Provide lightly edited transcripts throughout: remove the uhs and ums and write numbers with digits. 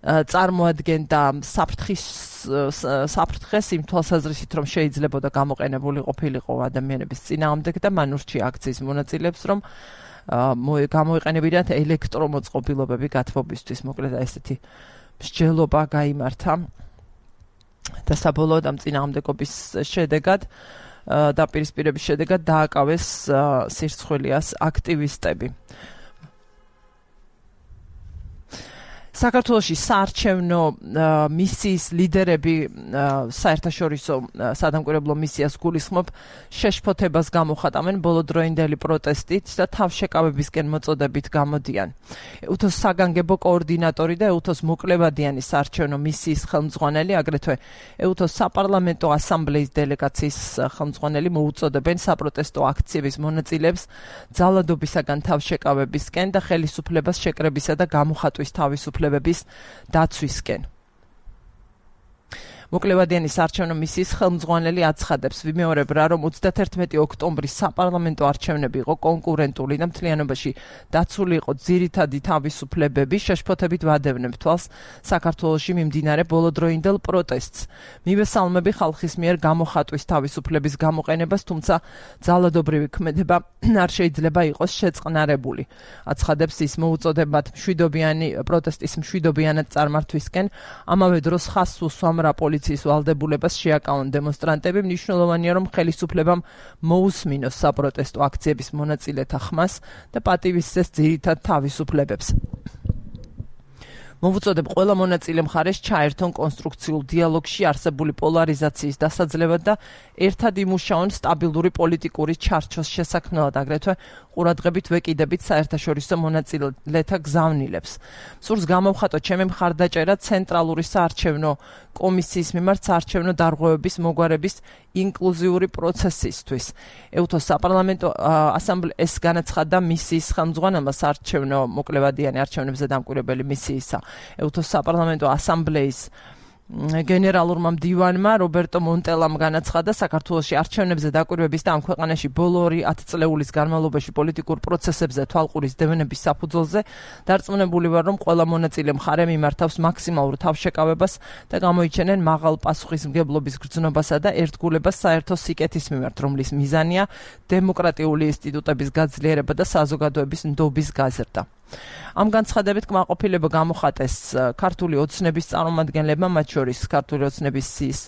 წარმოადგენდა საფრთხეს იმ თვალსაზრისით, რომ შეიძლებოდა გამოყენებული ყოფილიყო ადამიანების წინააღმდეგ და მან ურჩია აქციის მონაწილეებს, რომ გამოიყენებინათ ელექტრომოწყობილობები გათბობისთვის. მოკლედ ესეთი მსჯელობა გაიმართა და საბოლოოდ ამ წინააღმდეგობის შედეგად დაპირისპირების შედეგად დააკავეს სირცხვილიას აქტივისტები. საქართველოში საარჩევნო მისიის ლიდერები საერთაშორისო სადამკვირვებლო მისიას გულისხმობ შეშფოთებას გამოხატავენ ბოლოდროინდელი პროტესტით და თავშეკავებისკენ მოწოდებით გამოდიან. EUTHO-ს საგანგებო კოორდინატორი და EUTHO-ს მოკლებადიანი საარჩევნო მისიის ხელმძღვანელი, აგრეთვე EUTHO-ს საპარლამენტო ასამბლეის დელეგაციის ხელმძღვანელი მოუწოდებენ საპროტესტო აქციების მონაწილეებს ძალადობისაგან თავშეკავებისკენ და ხელისუფლებას შეკრებისა და გამოხატვის თავისუფლებას დაცვისკენ. მოკლებადიანი საარჩევნო მისიის ხელმძღვანელი აცხადებს, ვიმეორებ რა, რომ 31 ოქტომბრის საპარლამენტო არჩევნები იყო კონკურენტული და მთლიანობაში დაცული იყო ძირითადი თავისუფლებები, შეშფოთებით ვადევნებ თვალს საქართველოში მიმდინარე ბოლოდროინდელ პროტესტს. მივესალმები ხალხის მიერ გამოხატვის თავისუფლების გამოყენებას, თუმცა ძალადობრივი ქმედება არ შეიძლება იყოს შეწყნარებული. აცხადებს ის, მოუწოდებათ პროტესტის მშვიდობიანად წარმართვისკენ, ამავე დროს ხაზს უსვამ რა პოლიციის ვალდებულებას შეაკავონ დემონსტრანტები. მნიშვნელოვანია, რომ ხელისუფლებამ მოусმინოს საპროტესტო აქციების მონაწილეთა ხმას და პატივისცეს ძირითად თავისუფლებებს. მოვუწოდებ ყველა მონაწილე მხარეს ჩაერთონ კონსტრუქციულ დიალოგში არსებული პოლარიზაციის დასაძლევად და ერთად იმუშაონ სტაბილური პოლიტიკური ჩარჩოს შესაქმნელად, აგრეთვე ყურადღებით ვეკიდებით საერთაშორისო მონაწილეთა გზავნილებს. სურს გამოვხატო ჩემი მხარდაჭერა ცენტრალური საარჩევნო კომისიის მიმართ საარჩევნო დარღვევების მოგვარების ინკლუზიური პროცესისთვის. EUTHO-ს საპარლამენტო ასამბლეის განაცხადა მისიის ხელმძღვანელმა საარჩევნო მოკლებადიანი არჩევნებზე დამკვირვებელი მისიისა EUTHO-ს საპარლამენტო ასამბლეის გენერალურმა მდივანმა რობერტო მონტელამ განაცხადა, საქართველოში არჩევნებზე დაკვირვების და ამ ქვეყანაში ბოლო 10 წლეულის განმავლობაში პოლიტიკურ პროცესებზე თვალყურის დევნების საფუძველზე დარწმუნებული ვარ, რომ ყველა მონაწილე მხარე მიმართავს მაქსიმალურ თავშეკავებას და გამოიჩენენ მაღალ პასუხისმგებლობის გრძნობასა და ერთგულებას საერთო სიკეთის მიმართ, რომლის მიზანია დემოკრატიული ინსტიტუტების გაძლიერება და საზოგადოების ნდობის გაზრდა. ამ განცხადებით კმაყოფილება გამოხატეს ქართული ოცნების წარმომადგენლებმა, მათ შორის ქართული ოცნების სიის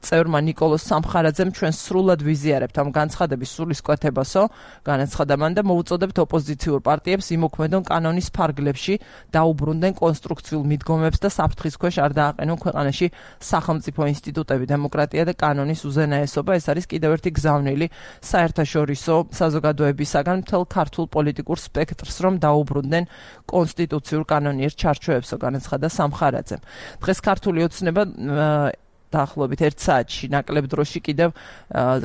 წევრმა ნიკოლოზ სამხარაძემ. ჩვენ სრულად ვიზიარებთ ამ განცხადების სულისკვეთებასო, განაცხადა მან და მოუწოდებთ ოპოზიციურ პარტიებს იმოქმედონ კანონის ფარგლებში, დაუბრუნდნენ კონსტრუქციულ მიდგომებს და საფრთხის ქვეშ არ დააყენონ ქვეყანაში სახელმწიფო ინსტიტუტები, დემოკრატია და კანონის უზენაესობა. ეს არის კიდევ ერთი გზავნილი საერთაშორისო საზოგადოებისაგან მთელ ქართულ პოლიტიკურ სპექტრს, რომ დაუბრუნდნენ კონსტიტუციურ კანონიერ ჩარჩოებსო, განაცხადა სამხარაძემ. დღეს ქართული ოცნება დაახლოებით 1 საათში ნაკლებ დროში კიდევ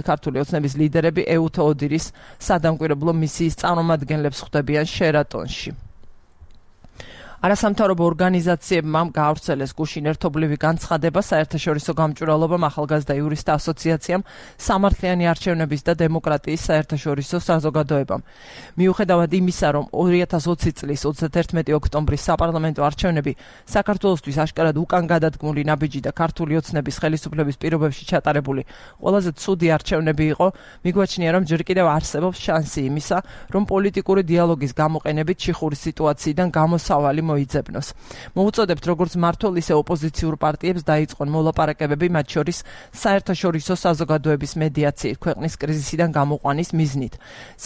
ქართული ოცნების ლიდერები EUTHO ოდირის სადამკვირვებლო მისიის წარმომადგენლებს ხვდებიან შერატონში. არასამთავრობო ორგანიზაციებმა გაავრცელეს გუშინ ერთობლივი განცხადება საერთაშორისო გამჭვირვალობამ, ახალგაზრდა იურისტთა ასოციაციამ, სამართლიანი არჩევნების და დემოკრატიის საერთაშორისო საზოგადოებამ. მიუხედავად იმისა, რომ 2020 წლის 31 ოქტომბრის საპარლამენტო არჩევნები საქართველოსთვის აშკარად უკან გადადგმული ნაბიჯი და ქართული ოცნების ხელისუფლების პირობებში ჩატარებული ყველაზე ცუდი არჩევნები იყო, მიგვაჩნია, რომ ჯერ კიდევ არსებობს შანსი იმისა, რომ პოლიტიკური დიალოგის გამოყენებით ჩიხური სიტუაციიდან გამოსავალი მოიძებნოს. მოუწოდებთ როგორც მმართველ, ისე ოპოზიციურ პარტიებს დაიწყონ მოლაპარაკებები, მათ შორის საერთაშორისო საზოგადოების მედიაციით ქვეყნის კრიზისიდან გამოყვანის მიზნით.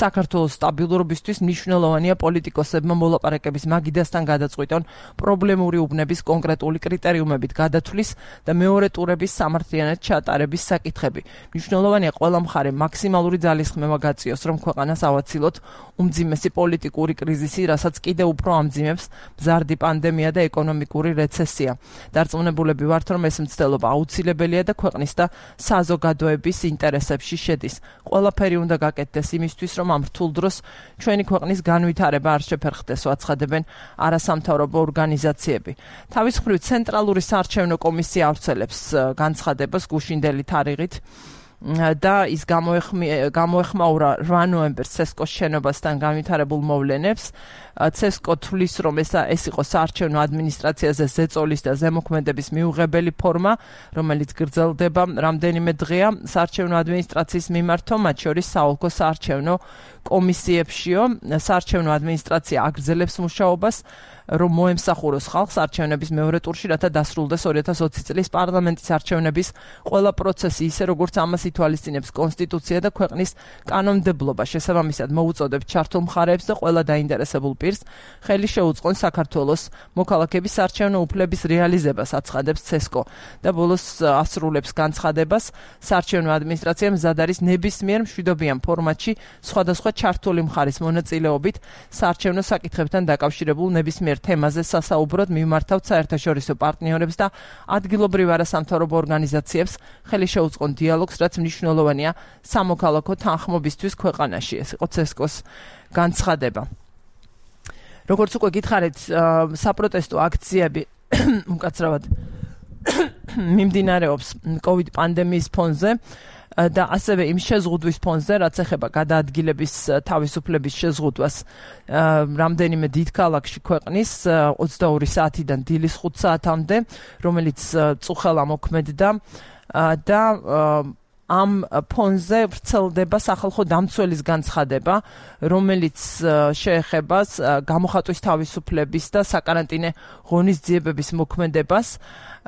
საქართველოს სტაბილურობისთვის მნიშვნელოვანია პოლიტიკოსებმა მოლაპარაკების მაგიდასთან გადაწყვიტონ პრობლემური უბნების კონკრეტული კრიტერიუმებით გადათვლის და მეორე ტურების სამართლიანად ჩატარების საკითხები. მნიშვნელოვანია ყველა მხარე მაქსიმალური ძალისხმევა გაწიოს, რომ ქვეყანას ავაცილოთ უმძიმესი პოლიტიკური კრიზისი, რასაც კიდევ უფრო ამძიმებს მზარდი პანდემია და ეკონომიკური რეცესია. დარწმუნებულები ვართ, რომ ეს მცდელობა აუცილებელია და ქვეყნის და საზოგადოების ინტერესებში შედის. ყველაფერი უნდა გაკეთდეს იმისთვის, რომ ამ რთულ დროს ჩვენი ქვეყნის განვითარება არ შეფერხდეს, აცხადებენ არასამთავრობო ორგანიზაციები. თავის მხრივ ცენტრალური საარჩევნო კომისია ავრცელებს განცხადებას გუშინდელი თარიღით და ის გამოეხმაურა 8 ნოემბერს ცესკოს შენობასთან განვითარებულ მოვლენებს. ცესკო თვლის, რომ ეს იყო საარჩევნო ადმინისტრაციაზე ზეწოლის და ზემოქმედების მიუღებელი ფორმა, რომელიც გრძელდება რამდენიმე დღეა საარჩევნო ადმინისტრაციის მიმართო, მათ შორის საოლქო საარჩევნო კომისიებშიო. საარჩევნო ადმინისტრაცია აგრძელებს მუშაობას, რომ მოემსახუროს ხალხს არჩევნების მეორე ტურში, რათა დასრულდეს 2020 წლის პარლამენტის არჩევნების ყველა პროცესი, ისე როგორც ამას ითვალისწინებს კონსტიტუცია და ქვეყნის კანონმდებლობა. შესაბამისად, მოუწოდებთ ჩართულ მხარეებს და ყველა დაინტერესებულ პირს ხელი შეუწყონ საქართველოს მოქალაქების საარჩევნო უფლების რეალიზებას, აცხადებს ცესკო და ბოლოს ასრულებს განცხადებას. საარჩევნო ადმინისტრაცია მზად არის ნებისმიერ მშვიდობიან ფორმატში სხვადასხვა ჩართული მხარის მონაწილეობით საარჩევნო საკითხებთან დაკავშირებულ ნებისმიერ თემაზე სასაუბროდ მიმართავთ საერთაშორისო პარტნიორებს და ადგილობრივ არასამთავრობო ორგანიზაციებს ხელი შეუწყონ დიალოგს, რაც მნიშვნელოვანია სამოქალაქო თანხმობისთვის ქვეყანაში. ეს იყო ცესკოს განცხადება. როგორც უკვე გითხარით, საპროტესტო აქციები უკაცრავად მიმდინარეობს COVID პანდემიის ფონზე და ასევე იმ შეზღუდვის ფონზე, რაც ეხება გადაადგილების თავისუფლების შეზღუდვას რამდენიმე დიდ ქალაქში ქვეყნის 22 საათიდან დილის 5 საათამდე, რომელიც წუხელა მოქმედდა და ამ ფონზე ვრცელდება სახალხო დამცველის განცხადება, რომელიც შეეხება გამოხატვის თავისუფლების და საკარანტინე ღონისძიებების მოქმედებას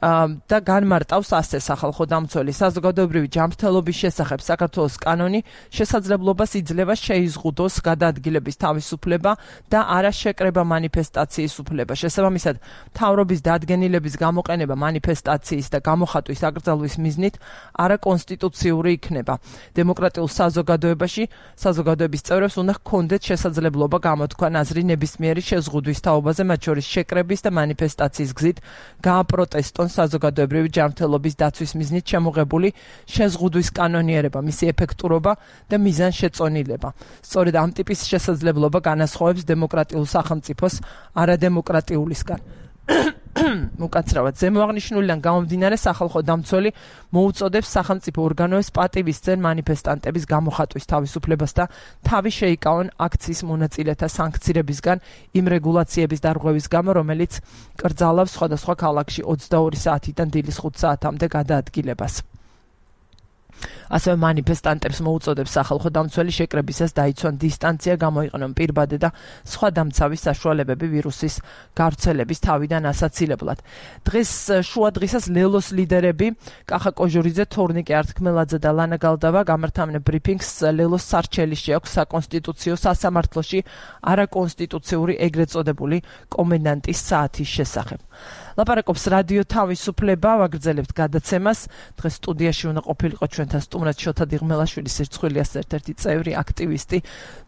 და განმარტავს ასე სახალხო დამცველი საზოგადოებრივი ჯანმრთელობის შესახებ საქართველოს კანონი შესაძლებლობას იძლევა შეიზღუდოს გადაადგილების თავისუფლება და არა შეკრება მანიფესტაციის უფლება. შესაბამისად, მთავრობის დადგენილების გამოყენება მანიფესტაციის და გამოხატვის აკრძალვის მიზნით არაკონსტიტუციური იქნება. დემოკრატიულ საზოგადოებაში საზოგადოების წევრებს უნდა ჰქონდეთ შესაძლებლობა გამოთქვან აზრი ნებისმიერი შეზღუდვის თაობაზე, მათ შორის შეკრების და მანიფესტაციის გზით გააპროტესტონ საზოგადოებრივი ჯანმრთელობის დაცვის მიზნით შემოღებული შეზღუდვის კანონიერება, მისი ეფექტურობა და მიზანშეწონილება. სწორედ ამ ტიპის შესაძლებლობა განასხვავებს დემოკრატიულ სახელმწიფოს არადემოკრატიულისგან. უკაცრავად ზემოაღნიშნულიდან გამომდინარე, სახალხო დამცველი მოუწოდებს სახელმწიფო ორგანოებს პატივისცენ მანიფესტანტების გამოხატვის თავისუფლებას და თავი შეიკავონ აქციის მონაწილეთა სანქცირებისგან იმ რეგულაციების დარღვევის გამო, რომელიც კრძალავს სხვადასხვა ქალაქში 22 საათიდან დილის 5 საათამდე გადაადგილებას. ასევე მანიფესტანტებს მოუწოდებს სახალხო დამცველი შეკრებისას დაიცვან დისტანცია, გამოიყენონ პირბადე და სხვა დამცავის საშუალებები ვირუსის გავრცელების თავიდან ასაცილებლად. დღეს შუა დღისას ლელოს ლიდერები კახა კოჟურიძე, თორნიკე ართქმელაძე და ლანა გალდავა გამართავდნენ ბრიფინგს ლელოს სარჩელი შეაქვს საკონსტიტუციო სასამართლოში არაკონსტიტუციური ეგრეთ წოდებული კომენდანტის საათის შესახებ. ლაპარაკობს რადიო თავისუფლება, ვაგრძელებთ გადაცემას. დღეს სტუდიაში უნდა ყოფილიყო ჩვენთან სტუმრად შოთა დიღმელაშვილი, სირცხვილიას ერთ-ერთი წევრი, აქტივისტი,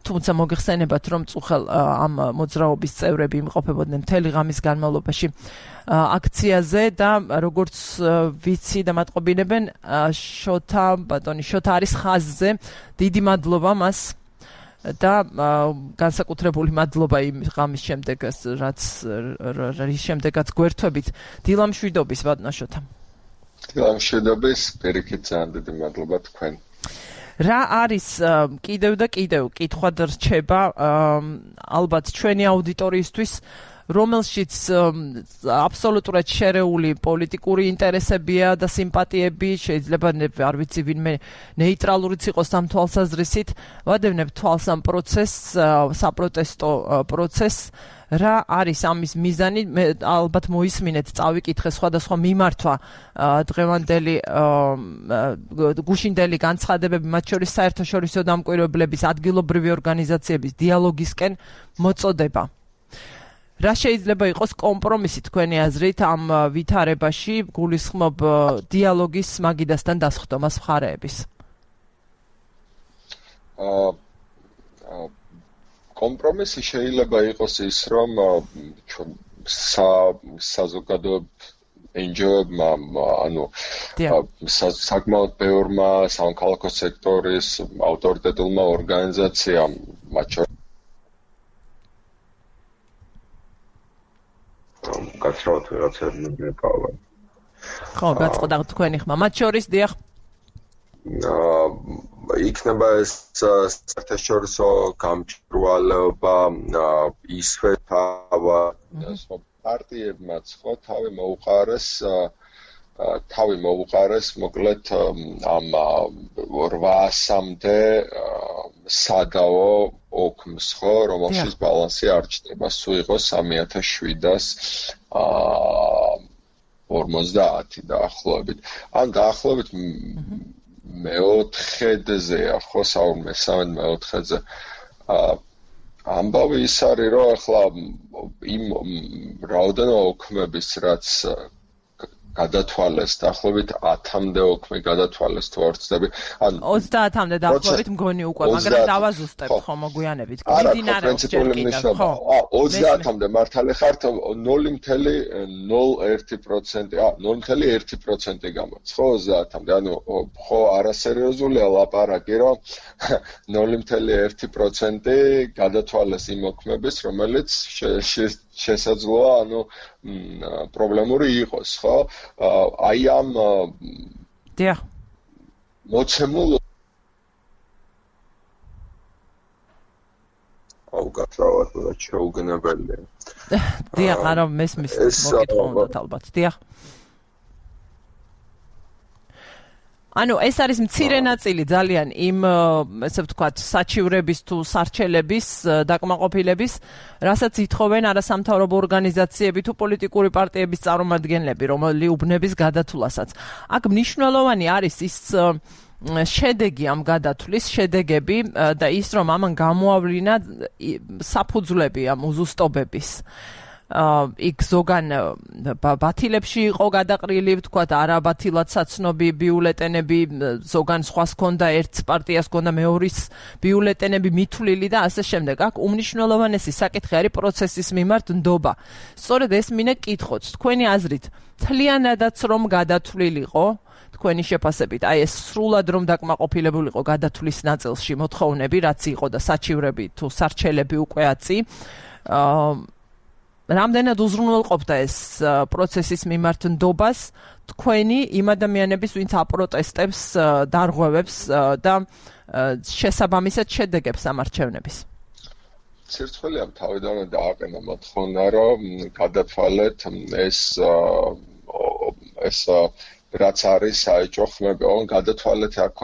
თუმცა მოგეხსენებათ, რომ წუხელ ამ მოძრაობის წევრები იმყოფებოდნენ მთელი ღამის განმავლობაში აქციაზე და როგორც ვიცი და მატყობინებენ, ბატონი შოთა არის ხაზზე. დიდი მადლობა მას და განსაკუთრებული მადლობა იმ ღამის შემდეგ, რის შემდეგაც გვერთვებით. დილამშვიდობის ბატონო შოთა. დილამშვიდობის, პირიქით ძალიან დიდი მადლობა თქვენ. რა არის კიდევ და კიდევ კითხვად რჩება ალბათ ჩვენი აუდიტორიისთვის, რომელშიც აბსოლუტურად შერეული პოლიტიკური ინტერესებია და სიმპათიები, შეიძლება არ ვიცი ვინმე ნეიტრალურიც იყოს ამ თვალსაზრისით, ვადევნებ თვალს ამ პროცესს, საპროტესტო პროცესს. რა არის ამის მიზანი? მე ალბათ მოისმინეთ, წავიკითხე სხვადასხვა მიმართვა დღევანდელი გუშინდელი განცხადებები, მათ შორის საერთაშორისო დამკვირვებლების, ადგილობრივი ორგანიზაციების დიალოგისკენ მოწოდება. რა შეიძლება იყოს კომპრომისი თქვენი აზრით ამ ვითარებაში, გულისხმობ დიალოგის მაგიდასთან დასხდომას მხარეების? კომპრომისი შეიძლება იყოს ის, რომ საზოგადოებრივ NGO-ებმა, საკმაოდ ბევრმა სამოქალაქო სექტორის ავტორიტეტულმა ორგანიზაციამ, მათ შორის გაცრავთ ვიღაცები მეკავა. ხო, გაწყდა თქვენი ხმა. მათ შორის დიახ. იქნება ეს საერთაშორისო გამჭვირვალეობა ისვე პარტიებმაც ხო თავი მოუყარეს მოკლედ ამ 800-მდე სადაო ოქმს ხო რომელშიც ბალანსი არ ჩნდება სულ იყო 3750 დაახლოებით ან დაახლოებით მეოთხედზეა ხო საერთოდ მეოთხედზე ამბავი ის არის რომ ახლა იმ რაოდენობა ოქმების რაც გადათვალეს დაახლოებით 10-მდე ოქმი გადათვალეს თუ არ ვცდები ან 30-მდე დაახლოებით მგონი უკვე მაგრამ დავაზუსტებ ხო მოგვიანებით მიმდინარეობს ჯერ კიდევ ხო 30-მდე მართალი ხართ 0.01% 0.1% გამოც ხო 30-მდე ანუ ხო არასერიოზულია ლაპარაკი რომ 0.1% გადათვალეს იმ ოქმების რომელიც შესაძლოა ანუ პრობლემური იყოს ხო აი ამ დიახ მოცემულ აუ გასავათ რა შეუგნებელია დიახ არა მესმის მოკითხვა უნდა ალბათ დიახ ანუ ეს არის მცირე ნაწილი ძალიან იმ ესე ვთქვათ საჩივრების თუ სარჩელების დაკმაყოფილების რასაც ითხოვენ არასამთავრობო ორგანიზაციები თუ პოლიტიკური პარტიების წარმომადგენლები რომელი უბნების გადათვლასაც აქ მნიშვნელოვანი არის ის შედეგი ამ გადათვლის შედეგები და ის რომ ამან გამოავლინა საფუძვლები ამ უზუსტობების იქ ზოგან ბათილებში იყო გადაყრილი, ვთქვათ, არაბათილად საცნობი ბიულეტენები, ზოგან სხვას ჰქონდა ერთს პარტიას ჰქონდა მეორის ბიულეტენები მითვლილი და ასე შემდეგ. აქ უმნიშვნელოვანესი საკითხი არის პროცესის მიმართ ნდობა. სწორედ ეს მინე კითხოთ, თქვენი აზრით, მთლიანადაც რომ გადათვლილიყო თქვენი შეფასებით, აი ეს სრულად რომ დაკმაყოფილებულიყო გადათვლის ნაწილში მოთხოვნები, რაც იყო და საჩივრები თუ სარჩელები უკვე აწი რამდენად უზრუნველყოფდა ეს პროცესის მიმართ ნდობას თქვენი იმ ადამიანების, ვინც აპროტესტებს, დარღვევებს და შესაბამისად შედეგებს ამ არჩევნების. ცირცხველი ამ თავიდანვე დააყენა მოთხოვნა, რომ გადათვალეთ ეს რაც არის საეჭვო ხმები, ოღონდ გადათვალეთ აქ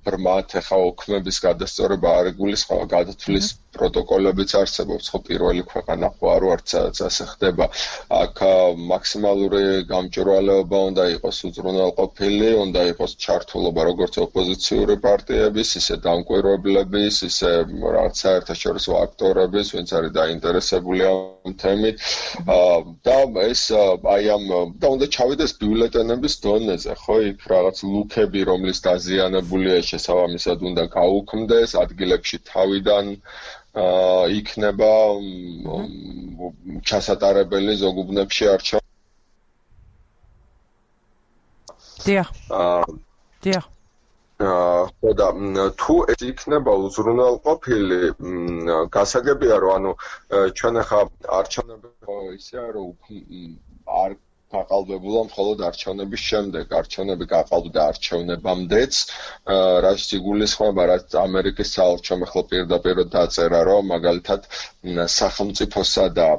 ბრმად ახლა ოქმების გადასწორება არ იგულისხმება, გადათვლის პროტოკოლებიც არსებობს, ხო პირველი ქვეყანა ხო არ ვართ ასე ხდება. აქ მაქსიმალური გამჭვირვალეობა უნდა იყოს უზრუნველყოფილი, უნდა იყოს ჩართულობა როგორც ოპოზიციური პარტიების, ისე დამკვირვებლების, ისე რაღაც საერთაშორისო აქტორების, ვინც არის დაინტერესებული ამ თემით. და ეს აი ამ და უნდა ჩავიდეს ბიულეტენების დონეზე, ხო, იქ რაღაც ლუქები, რომლის დაზიანებულია შესაბამისად უნდა გაუქმდეს, ადგილებში თავიდან იქნება ჩასატარებელი ზოგ უბნებში არჩევნები. დიახ. დიახ. ხო და თუ ეს იქნება უზრუნველყოფილი, გასაგებია რომ ანუ ჩვენ ახლა არჩევნები ისეა რომ არ გაყალბებულა მხოლოდ არჩევნების შემდეგ, არჩევნები გაყალბდა არჩევნებამდეც, რაც იგულისხმება, რაც ამერიკის საელჩომ ახლა პირდაპირ დაწერა, რომ მაგალითად სახელმწიფოსა და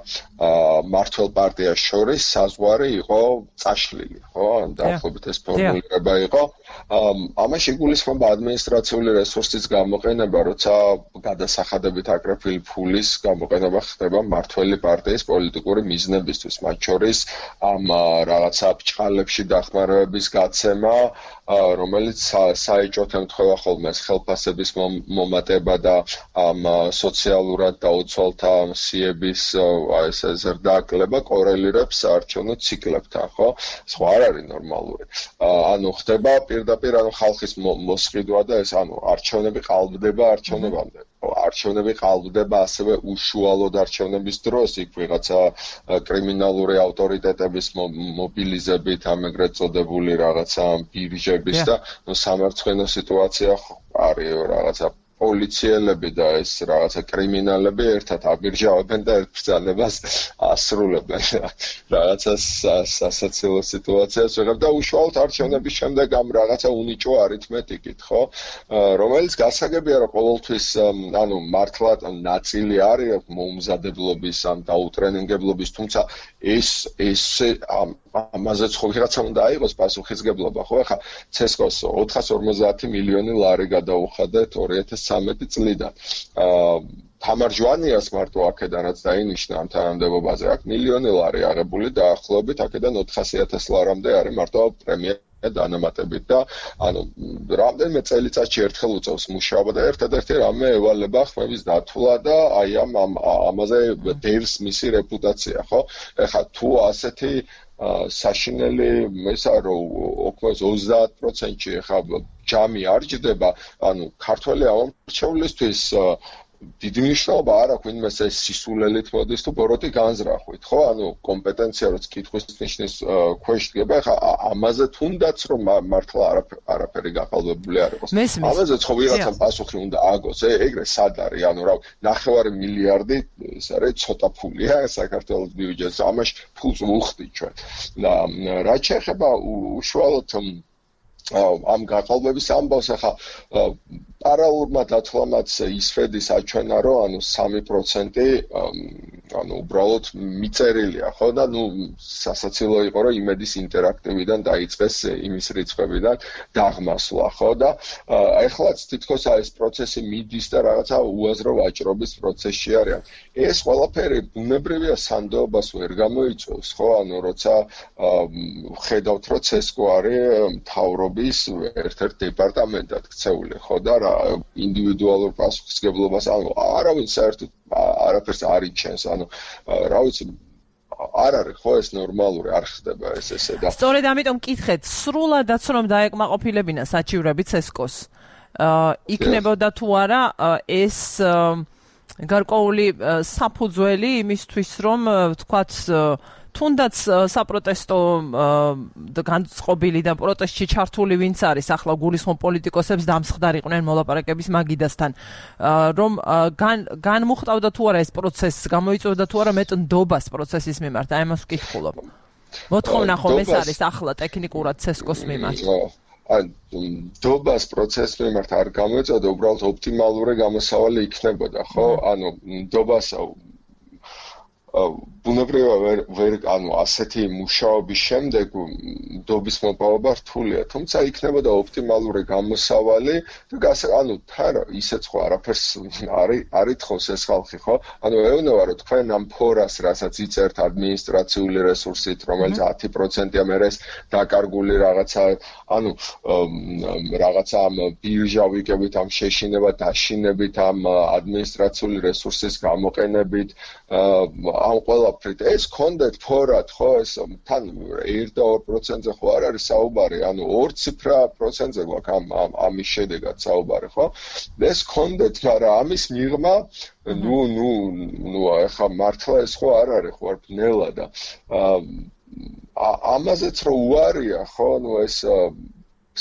მმართველ პარტიას შორის საზღვარი იყო წაშლილი, ხო? დაახლოებით ეს ფორმულირება იყო. ამაში იგულისხმება ადმინისტრაციული რესურსის გამოყენება, როცა გადასახადებით აკრეფილი ფულის გამოყენება ხდება მმართველი პარტიის პოლიტიკური მიზნებისთვის, მათ შორის ამ რაღაცა ბჭყალებში დახმარებების გაცემა, რომელიც საეჭვოდ ემთხვევა ხოლმე ხელფასების მომატება და ამ სოციალურად დაუცველთა სიების ეს ზრდააკლება კორელირებს არჩევნო ციკლებთან, ხო? სხვა არ არის ნორმალური. ანუ ხდება პირდაპირ ანუ ხალხის მოსყიდვა და ეს ანუ არჩევნები ყალბდება არჩევნებამდე. არჩევნები ყალბდება ასევე უშუალოდ არჩევნების დროს, იქ ვიღაცა კრიმინალური ავტორიტეტების მობილიზებით, ამ ეგრეთ წოდებული რაღაცა ბირჟების და სამარცხვინო სიტუაცია არის რაღაცა პოლიციელები და ეს რაღაცა კრიმინალები ერთად აბირჟავებენ და ერთ ბრძანებას ასრულებენ. რაღაცა სასაცილო სიტუაციას ვიღებ და უშუალოდ არჩევნების შემდეგ ამ რაღაცა უნიჭო არითმეტიკით, ხო? რომელიც გასაგებია, რომ ყოველთვის ანუ მართლა ნაწილი არის მოუმზადებლობის ამ დაუტრენინგებლობის, თუმცა ეს ამაზეც ხო ვიღაცა უნდა აიღოს პასუხისგებლობა, ხო? ახლა ცესკოს 450 მილიონი ლარი გადაუხადეთ 2013 წლიდან. თამარ ჯვანიას მარტო აქედანაც დაინიშნა ამ თანამდებობაზე. აქ მილიონი ლარი აღებული დაახლოებით აქედან 400,000 ლარამდე არის მარტო პრემია დანამატებით და ანუ რამდენიმე წელიწადში ერთხელ უწევს მუშაობა და ერთადერთი რამე ევალება ხმების დათვლა და აი ამაზე დევს მისი რეპუტაცია, ხო? ეხლა თუ ასეთი საშინელი ესა რომ ოქროს 30%-ში ეხლა ჯამი არ ჯდება, ანუ ქართველი ამომრჩევლისთვის დიდი მნიშვნელობა არ აქვს იმას ეს სისულელით მოდის თუ ბოროტი განზრახვით, ხო? ანუ კომპეტენცია რაც კითხვის ნიშნის ქვეშ დგება, ხა ამაზე თუნდაც რომ მართლა არაფერი გაყალბებული არ იყოს. ამაზე ხო ვიღაცა პასუხი უნდა აგოს, ეგრე სად არის? ანუ რა 9 მილიარდი ეს არის ცოტა ფულია საქართველოს ბიუჯეტს, ამაში ფულს ვუხდით ჩვენ. და რაც შეეხება უშუალოდ ამ გაყალბების ამბავს ახლა პარალელურმა დათვლამაც ისფედის აჩვენა რომ ანუ 3% ანუ უბრალოდ მიწერილია ხო და ნუ სასაცილო იყო რომ იმედის ინტერაქტივიდან დაიწყეს იმის რიცხვებიდან დაღმასვლა ხო და ეხლაც თითქოს ეს პროცესი მიდის და რაღაცა უაზრო ვაჭრობის პროცესში არის ეს ყველაფერი ბუნებრივია სანდოობას ვერ გამოიწვევს ხო ანუ როცა ხედავთ რომ ცესკო არის მთავრობის ერთ-ერთ დეპარტამენტად ქცეული ხო და ინდივიდუალურ პასუხისმგებლობას ანუ არავინ საერთოდ არაფერს არ იჩენს ანუ რა ვიცი არ არის ხო ეს ნორმალური არ ხდება ეს ესე და სწორედ ამიტომ მკითხეთ სრულადაც რომ დაეკმაყოფილებინა საჩივრები ცესკოს იქნებოდა თუ არა ეს გარკვეული საფუძველი იმისთვის რომ თქვათ თუნდაც საპროტესტო განწყობილი და პროტესტში ჩართული ვინც არის ახლა გულისხმობ პოლიტიკოსებს დამსხდარიყვნენ მოლაპარაკების მაგიდასთან რომ განმუხტავდა თუ არა ეს პროცესი გამოიწვევდა თუ არა მეტ ნდობას პროცესის მიმართ აი ამას ვკითხულობ მოთხოვნა ხომ ეს არის ახლა ტექნიკურად ცესკოს მიმართ ნდობას პროცესის მიმართ არ გამოიწვევდა უბრალოდ ოპტიმალური გამოსავალი იქნებოდა ხო ანუ ნდობას ბუნებრივია ვერ ანუ ასეთი მუშაობის შემდეგ ნდობის მოპოვება რთულია თუმცა იქნებოდა ოპტიმალური გამოსავალი და ანუ თან ისეც ხო არაფერს არ ითხოვს ეს ხალხი ხო ანუ ეუბნება რომ თქვენ ამ ფორას რასაც იწერთ ადმინისტრაციული რესურსით რომელიც 10%-ია მე ეს დაკარგული რაღაცა ანუ რაღაცა ამ ბირჟა ვიკებით ამ შეშინება დაშინებით ამ ადმინისტრაციული რესურსის გამოყენებით ამ ყველაფრით ეს კონდეთ ფორად ხო ეს თან 1 და 2%-ზე ხო არ არის საუბარი ანუ 2 ციფრა პროცენტზე გვაქვს ამის შედეგად საუბარი ხო ეს კონდეთ მაგრამ ამის მიღმა ნუ ახლა მართლა ეს ხო არ არის ხო არ ბნელა და ამაზეც რო უარია ხო ნუ ეს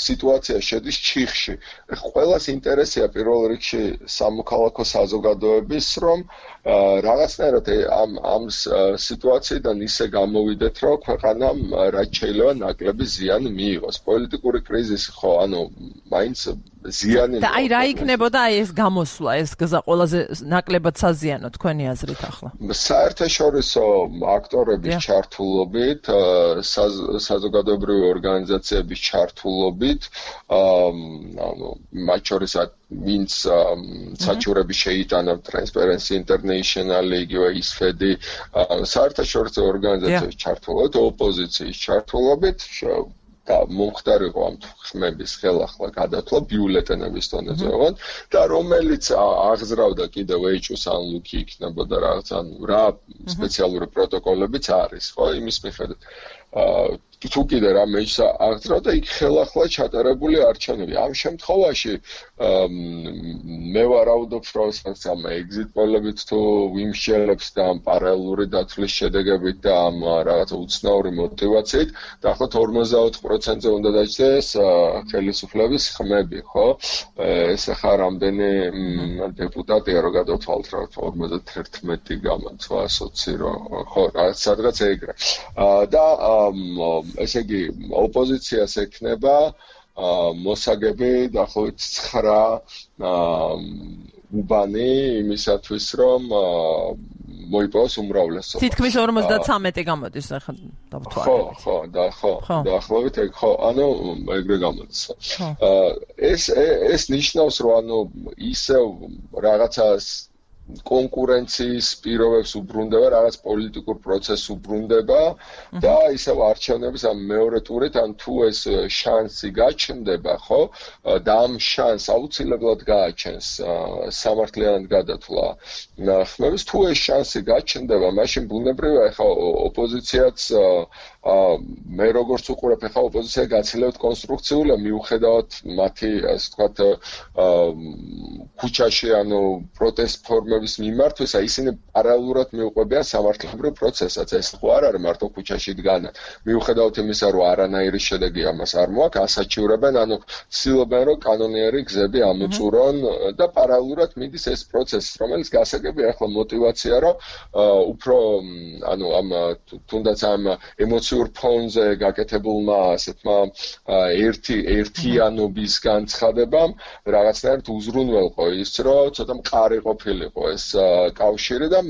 სიტუაცია შედის ჩიხში. ყველას ინტერესია პირველ რიგში სამოქალაქო საზოგადოების რომ რაღაცნაირად ამ სიტუაციიდან ისე გამოვიდეთ რომ ქვეყანამ რაც შეიძლება ნაკლები ზიანი მიიღოს. პოლიტიკური კრიზისი ხო ანუ მაინც ზიანი და აი რა იქნებოდა აი ეს გამოსვლა ეს გზა ყველაზე ნაკლებად საზიანო თქვენი აზრით ახლა საერთაშორისო აქტორების ჩართულობით საზოგადოებრივი ორგანიზაციების ჩართულობით ანუ მათ შორის ვინც საჩივრები შეიტანა Transparency International იგივე ისფედი საერთაშორისო ორგანიზაციების ჩართულობით ოპოზიციის ჩართულობით და მომხდარიყო ამ ხმების ხელახლა გადათვლა ბიულეტენების დონეზე ოღონდ და რომელიც აღზრავდა კიდევ ეჭვს ან ლუკი იქნებოდა რაღაც ანუ რა სპეციალური პროტოკოლებიც არის ხო იმის მიხედვით თუ კიდე რამე ის აღძრავ და იქ ხელახლა ჩატარებული არჩევნები. ამ შემთხვევაში მე ვარაუდობ, რომ ამ exit poll-ებით თუ ვიმსჯელებს და ამ პარალელური დათვლის შედეგებით და ამ რაღაცა უცნაური მოტივაციით, დაახლოებით 44%-ზე უნდა დაჯდეს ხელისუფლების ხმები, ხო? ეს ახლა რამდენი დეპუტატია რო გადავთვალთ, რა 51 გამოცვა 20 რო ხო, სადღაც ეგრე. და ესე იგი ოპოზიციას ექნება მოსაგები დაახლოებით 9 უბანი იმისათვის რომ მოიპოვოს უმრავლესობა. თითქმის 53 გამოდის ახლა დავთვალოთ. ხო, დაახლოებით ეგ ხო, ანუ ეგრე გამოდის. ეს ნიშნავს რომ ანუ ისევ რაღაცას კონკურენციის პირობებს უბრუნდება, რაღაც პოლიტიკურ პროცესს უბრუნდება და ისევ არჩევნების ამ მეორე ტურით, ან თუ ეს შანსი გაჩნდება, ხო? და ამ შანსს აუცილებლად გააჩენს სამართლიანად გადათვლა ხმების, თუ ეს შანსი გაჩნდება, მაშინ ბუნებრივია, ხა ოპოზიციაც მე როგორც უყურებ, ხა ოპოზიცია გაცილებით კონსტრუქციულია, მიუხედავად მათი, ასე ვთქვათ, ქუჩაში, ანუ პროტესტ ფორმების მიმართვისა, ისინი პარალელურად მიუყვებიან სამართლებრივ პროცესსაც. ეს ხო არ არის მარტო ქუჩაში დგანა. მიუხედავად იმისა, რომ არანაირი შედეგი ამას არ მოაქვს, ასაჩივრებენ, ანუ ცდილობენ, რომ კანონიერი გზები ამოწურონ და პარალელურად მიდის ეს პროცესი, რომელიც გასაგებია ახლა მოტივაცია, რომ უფრო ანუ ამ თუნდაც ამ ემოციურ ფონზე გაკეთებულმა ასეთმა ერთიანობის განცხადებამ რაღაცნაირად უზრუნველყო ის, რომ ცოტა მყარი ყოფილიყო ეს კავშირი და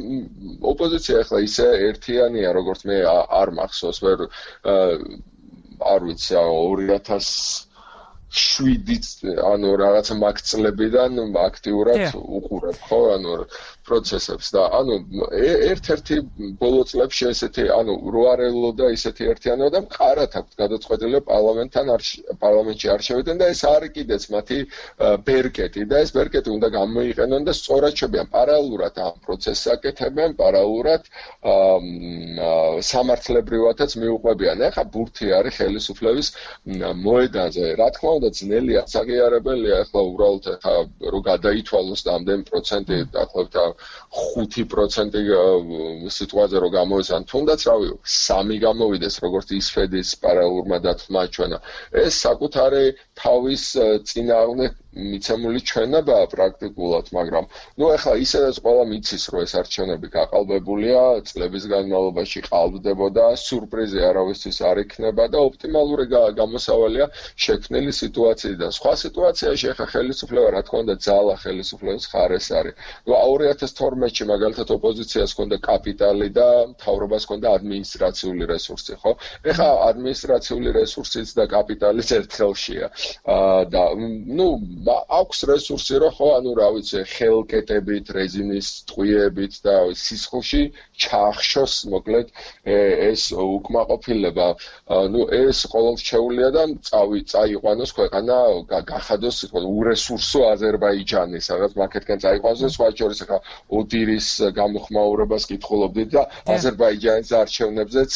ოპოზიცია ახლა ისე ერთიანია, როგორც მე არ მახსოვს, არ ვიცი, 2007 ანუ რაღაცა მაგ წლებიდან აქტიურად უყურებ, ხო, ანუ პროცესებს და ანუ ერთ-ერთი ბოლო წლებში ესეთი ანუ რო არ ელოდა ისეთი ერთიანობა და მყარად აქვს გადაწყვეტილი პარლამენტში არჩევიდან და ეს არის კიდეც მათი ბერკეტი და ეს ბერკეტი უნდა გამოიყენონ და სწორად შევიან პარალელურად ამ პროცესს აკეთებენ, პარალელურად სამართლებრივადაც მიუყვებიან. ეხლა ბურთი არის ხელისუფლების მოედანზე. რა თქმა უნდა, ძნელია, საღიარებელია ახლა უბრალოდ ახლა რო გადაითვალოს და ამდენ პროცენტი დაახლოებით 5% სიტუაცია რო გამოვიზან, თუნდაც რავი 3 გამოვიდეს, როგორც ისფედის პარალელურმა დათვლა ჩვენა. ეს საკუთარი თავის წინააღმდეგ მიცემული ჩვენებაა პრაქტიკულად, მაგრამ ნუ ახლა ისედაც ყველა მიცის, რომ ეს არჩევნები გაყალბებულია, წლების განმავლობაში ყალბდებოდა, სიურპრიზი არავისთვის არ იქნება და ოპტიმალური გამოსავალია შექმნილი სიტუაციიდან. სხვა სიტუაციაში ახლა ხელისუფლება, რა თქმა უნდა, ძალა ხელისუფლების ხარეს არის. ნუ 2012-ში მაგალითად ოპოზიციას ჰქონდა კაპიტალი და მთავრობას ჰქონდა ადმინისტრაციული რესურსი, ხო? ეხლა ადმინისტრაციული რესურსიც და კაპიტალიც ერთხელშია. და ნუ აქვს რესურსი, რომ ხო, ანუ რა ვიცი, ხელკეტებით, რეზინის ტყვიებით და სისხლში ჩაახშოს, მოკლედ, ეს უკმაყოფილება. ნუ ეს ყოველშეულია და წაიყვანოს ქვეყანა, გახადოს ურესურსო აზერბაიჯანი, სადაც მაქეთკენ წაიყვანოს და სხვა შორის ახლა ოდირის გამოხმაურებას კითხულობდით და აზერბაიჯანის არჩევნებზეც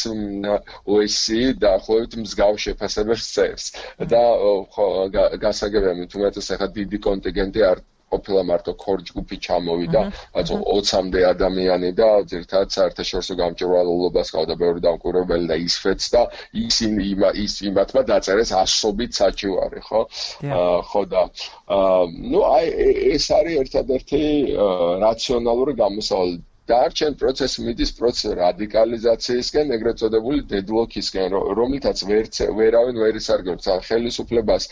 OSCE დაახლოებით მსგავს შეფასებებს წერს. და ხო, გასაგებია მით უმეტეს ახლა დიდი კონტინგენტი არ ყოფილა მარტო ქორ ჯგუფი ჩამოვიდა, რაც 20-მდე ადამიანი და ძირითადად საერთაშორისო გამჭვირვალობას ყავდა ბევრი დამკვირვებელი და ისფეც და იმათმა დაწერეს ასობით საჩივარი, ხო? ხო და ნუ აი ეს არის ერთადერთი რაციონალური გამოსავალი. დარჩენ პროცესი მიდის რადიკალიზაციისკენ, ეგრეთ წოდებული დედლოკისკენ, რომლითაც ვერავინ ვერ ისარგებლობს ხელისუფლებას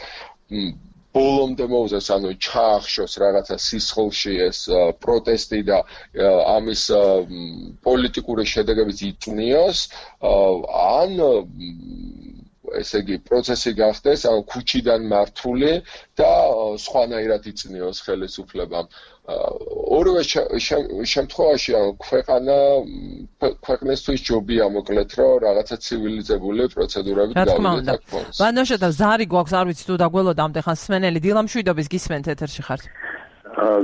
ბოლომდე მოუწევს, ანუ ჩაახშოს რაღაცა სისხლში ეს პროტესტი და ამის პოლიტიკური შედეგებიც იწვნიოს, ან ესე იგი პროცესი გახდეს, ანუ ქუჩიდან მართული და სხვანაირად იწვნიოს ხელისუფლებამ. ორივე შემთხვევაში ქვეყნისთვის ჯობია მოკლედ, რომ რაღაცა ცივილიზებული პროცედურებით გავიდეთ აქ. ვანოშა და ზარი გვაქვს, არ ვიცი თუ დაგველოდა ამდენ ხანს სმენელი დილა მშვიდობის გისმენთ ეთერში ხართ.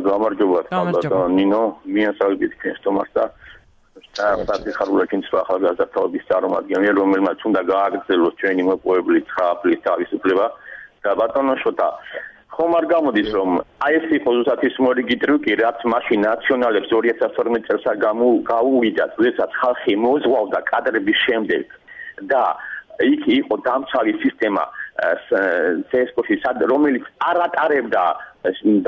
გამარჯობა, ნინო, მიასალმებით თქვენს თომას და საფრთხეებულაკინ ახალგაზრდა თაობის წარმომადგენელი, რომელმაც უნდა გააგრძელოს ჩვენი მოპოვებული 9 აპრილის თავისუფლება და ბატონო შოთა ხომ არ გამოდის რომ აი ეს იყო ზუსტად ის მორიგი ტრიუკი, რაც მაშინ ნაციონალებს 2012 წელს გაუვიდათ, როდესაც ხალხი მოძღვავდა კადრების შემდეგ და იქ იყო დამცველი სისტემა CSKO-ში, რომელიც არ ატარებდა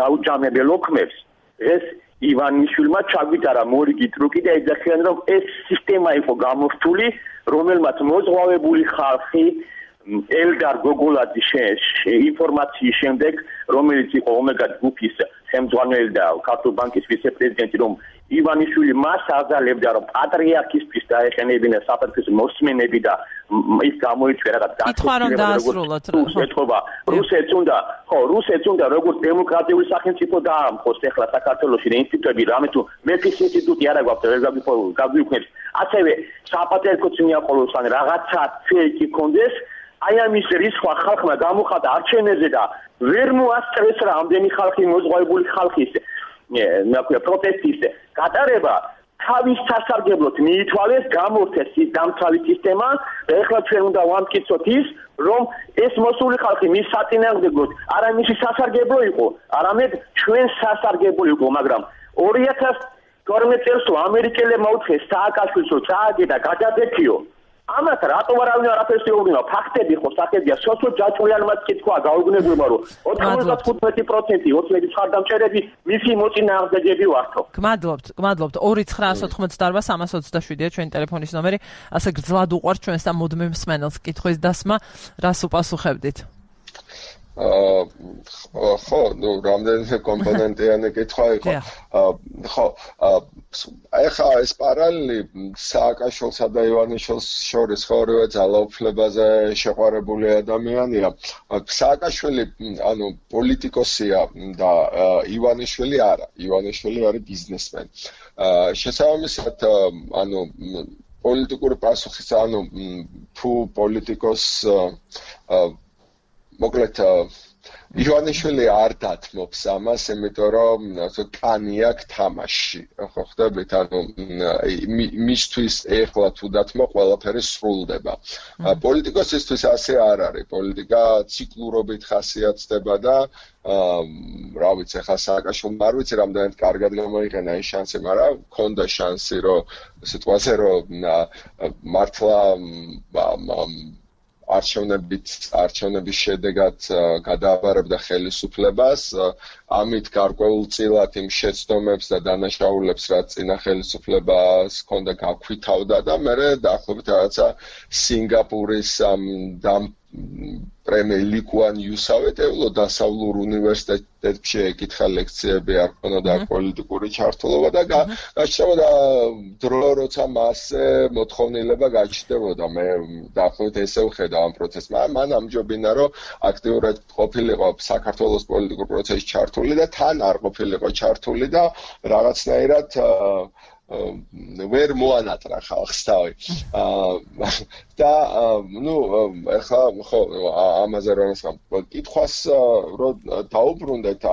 დაუჯამებელ ოქმებს, ეს ივანიშვილმა ჩაგვიტარა მორიგი ტრიუკი და ეძახიან რომ ეს სისტემა იყო გამორთული, რომელმაც მოძღვავებული ხალხი ელდარ გოგოლაძის ინფორმაციის შემდეგ, რომელიც იყო ომეგა ჯგუფის ხელმძღვანელი და ქართულ ბანკის ვიცე-პრეზიდენტი, რომ ივანიშვილი მას აძალებდა, რომ პატრიარქისთვის დაეხენებინა საფრთხის მოსმენები და ის გამოიწვია რაღაც რუსეთს უნდა როგორც დემოკრატიული სახელმწიფო დაამხოს ახლა საქართველოში და ინსტიტუტები, რამე თუ მეფის ინსტიტუტი არა გვაქვს, ვერ გაგვიქვნებს, ასევე საპატრიარქოც მიაყოლოს ან რაღაცა ფეიქი კონდეს, აი ამის რისხვა ხალხმა გამოხატა არჩევნებზე და ვერ მოასწრეს რამდენი ხალხი მოძღვავებული ხალხის პროტესტის გატარება თავის სასარგებლოდ მიითვალეს, გამორთეს ის დამცველი სისტემა და ეხლა ჩვენ უნდა ვამტკიცოთ ის, რომ ეს მოსული ხალხი მის საწინააღმდეგოდ არა მისი სასარგებლო იყო, არამედ ჩვენ სასარგებლო იყო, მაგრამ 2012 წელს ამერიკელებმა უთხეს სააკაშვილს, რომ წააგე და გადაძექიო. ამათ რატომ არავინ არაფერს ეუბნება, ფაქტები ხო საკებია, სოციო ჯაჭვიანმა კითხვა გაუგნებუება, რომ 95% 29 დამჭერები მისი მოწინააღმდეგეები ვართო. გმადლობთ 2998327-ია ჩვენი ტელეფონის ნომერი, ასე გრძლად უყვართ ჩვენს და მუდმივ მსმენელს კითხვის დასმა, რას უპასუხებდით? ხო, რამდენიმე კომპონენტიანი კითხვა იყო. ხო, ეხლა ეს პარალელი სააკაშვილსა და ივანიშვილს შორის ორივე ძალაუფლებაზე შეყვარებული ადამიანია. სააკაშვილი, პოლიტიკოსია და ივანიშვილი არა. ივანიშვილი არის ბიზნესმენი. შესაბამისად, პოლიტიკური პასუხის, თუ პოლიტიკოს მოკლედ ივანიშვილი არ დათმობს ამას, იმიტომ რომ კანი აქვს თამაში. ხო ხდებით, მისთვის ეხლა თუ დათმო, ყველაფერი სრულდება. პოლიტიკოსისთვის ასე არ არის. პოლიტიკა ციკლურობით ხასიათდება და რა ვიცი, ახლა სააკაშვილმა არ ვიცი რამდენად კარგად გამოიყენა ეს შანსი, მაგრამ ჰქონდა შანსი, რომ სიტყვაზე რომ მართლა არჩევნების შედეგად გადააბარებდა ხელისუფლებას, ამით გარკვეულწილად იმ შეცდომებს და დანაშაულებს, რაც წინა ხელისუფლებას ჰქონდა გაქვითავდა და მერე დაახლოებით რაღაცა სინგაპურის პრემიერ ლიკუან იუსავეთეულო დასავლურ უნივერსიტეტებში ეკითხა ლექციები, არ ქონოდა პოლიტიკური ჩართულობა და გაჩნდებოდა დრო, როცა მასზე მოთხოვნილება გაჩნდებოდა. მე დაახლოებით ესე ვხედავ ამ პროცესს. მან ამჯობინა, რომ აქტიურად ყოფილიყო საქართველოს პოლიტიკურ პროცესში ჩართული და თან არ ყოფილიყო ჩართული და რაღაცნაირად ვერ მოანატრა ხალხს თავი. და ეხლა ხო ამაზე რომ კითხვას რომ დაუბრუნდეთ,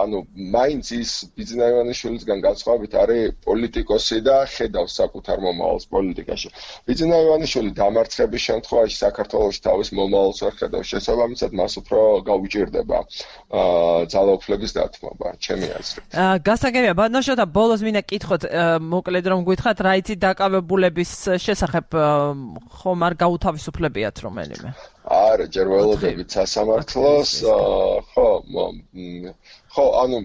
მაინც ის ბიძინა ივანიშვილისგან განსხვავებით არის პოლიტიკოსი და ხედავს საკუთარ მომავალს პოლიტიკაში. ბიძინა ივანიშვილი დამარცხების შემთხვევაში საქართველოში თავის მომავალს ვერ ხედავს, შესაბამისად მას უფრო გაუჭირდება ძალაუფლების დათმობა, ჩემი აზრით. გასაგებია, ბატონო შოთა, ბოლოს მინდა კითხოთ, მოკლედ რომ გითხრათ, რა იცით დაკავებულების შესახებ ხომ არ გაუთავისუფლებიათ რომელიმე? არა, ჯერ ველოდებით სასამართლოს, ხო,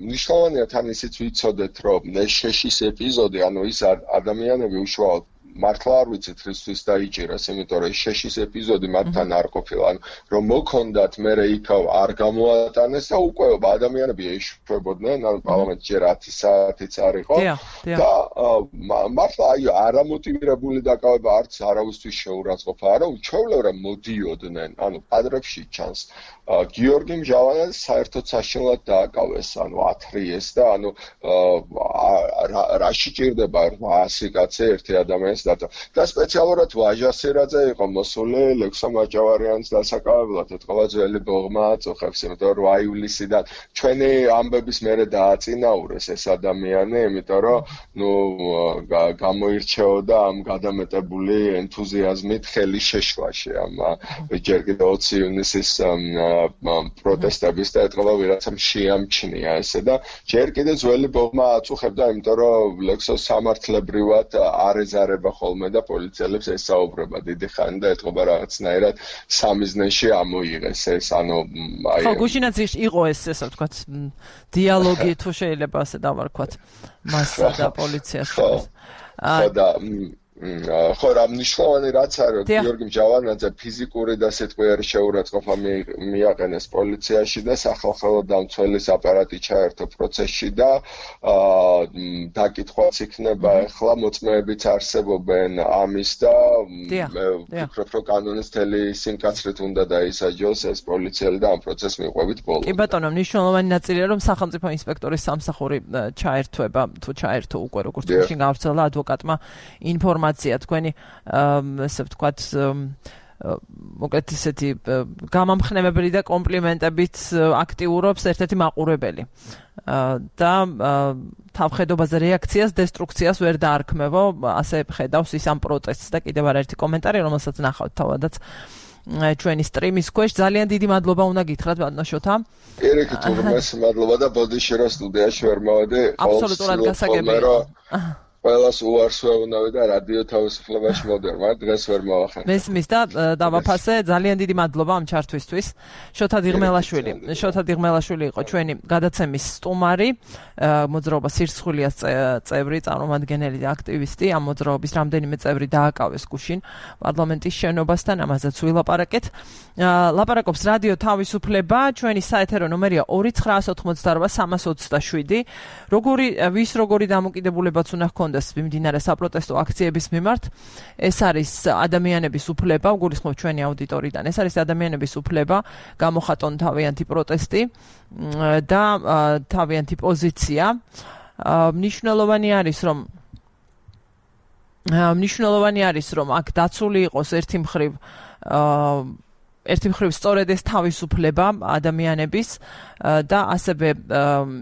მნიშვნელოვანია თან ისიც ვიცოდეთ, რომ ეს შეშის ეპიზოდი, ის ადამიანები უშუალოდ მართლა არ ვიცით რისთვის დაიჭირეს, იმიტომ რომ შეშის ეპიზოდი მათთან არ ყოფილა, რომ მოქონდათ მერე იქავა არ გამოატანეს და უკვე ადამიანები ეშვებოდნენ, პარლამენტში 10 საათიც არ იყო და მართლა არამოტივირებული დაკავება არც არავისთვის შეურაცხყოფა, არა, უჩვეულებრივად მოდიოდნენ, კადრებში ჩანს. გიორგი მჟავანაძე საერთოდ საშინლად დააკავეს, ათრიეს და რაში ჭირდება 800 კაცი ერთი ადამიანს დატო. და სპეციალურად ვაჟასირაძე იყო მოსული ლექსო მაჭავარიანის დასაკავებლად, ეთქვა ძველი ბოღმა აწუხებს, იმიტომ რომ 8 ივლისიდან ჩვენი ამბების მერე დააწინაურეს ეს ადამიანი, იმიტომ რომ გამოირჩეოდა ამ გადამეტებული ენთუზიაზმით ხელის შეშლაში ამ ჯერ კიდევ 20 ივნისის პროტესტების და ეთქვა ვიღაცამ შეამჩნია ესე და ჯერ კიდევ ძველი ბოღმა აწუხებდა, იმიტომ რომ ლექსო სამართლებრივად არ ეზარება ხოლმე და პოლიციელებს ესაუბრება დიდი ხანი და ეთქვა რაღაცნაირად სამიზნეში ამოიღეს ეს, ანუ ხო, გუშინაც იყო ეს, ასე ვთქვათ, დიალოგი თუ შეიძლება ასე დავარქვათ მასსა და პოლიციას შორის. ხო და ხო რა მნიშვნელოვანი რაც არის გიორგი მჟავანაძე ფიზიკური და სიტყვიერი შეურაცხყოფა მიაყენეს პოლიციაში და სახალხო დამცველის აპარატი ჩაერთო პროცესში და დაკითხვაც იქნება ახლა მოწმეებიც არსებობენ ამის და ვფიქრობ რომ კანონის მთელი სიმკაცრით უნდა დაისაჯოს ეს პოლიციელი და ამ პროცესს მიყვებით ბოლომდე. კი ბატონო, მნიშვნელოვანი ნაწილია რომ სახელმწიფო ინსპექტორის სამსახური ჩაერთვება თუ ჩაერთო უკვე როგორც გუშინ გავრცელა ადვოკატმა ინფორმაცია თქვენი ასე ვთქვათ მოკლედ ისეთი გამამხნევებელი და კომპლიმენტებით აქტიურობს ერთ-ერთი მაყურებელი და თავხედობაზე რეაქციას, დესტრუქციას ვერ დაარქმევო, ასე ხედავს ის ამ პროტესტს და კიდევ არაერთი კომენტარი, რომელსაც ნახავთ თავადაც ჩვენი სტრიმის ქვეშ. ძალიან დიდი მადლობა უნდა გითხრათ ბატონო შოთა. ერიკი თურმეს მადლობა და ბოდიში რა სტუდიაში ვერ მოვედი. აბსოლუტურად გასაგებია. ყველას უარს ვეუბნები და რადიო თავისუფლებაში მოდერ, მაგრამ დღეს ვერ მოვახერხე. მესმის და დავაფასე, ძალიან დიდი მადლობა ამ ჩართვისთვის. შოთა დიღმელაშვილი იყო ჩვენი გადაცემის სტუმარი, მოძრაობა სირცხვილიას წევრი, წარმომადგენელი და აქტივისტი. ამ მოძრაობის რამდენიმე წევრი დააკავეს გუშინ პარლამენტის შენობასთან, ამაზეც ვილაპარაკეთ. ლაპარაკობს რადიო თავისუფლება, ჩვენი საეთერო ნომერია 2988327. როგორი დამოკიდებულებაც უნდა ჰქონდეს მიმდინარე საპროტესტო აქციების მიმართ. ეს არის ადამიანების უფლება, გულისხმობ ჩვენი აუდიტორიდან. ეს არის ადამიანების უფლება, გამოხატონ თავიანთი პროტესტი და თავიანთი პოზიცია. მნიშვნელოვანი არის რომ აქ დაცული იყოს ერთი მხრივ სწორედ ეს თავისუფლება ადამიანების და ასევე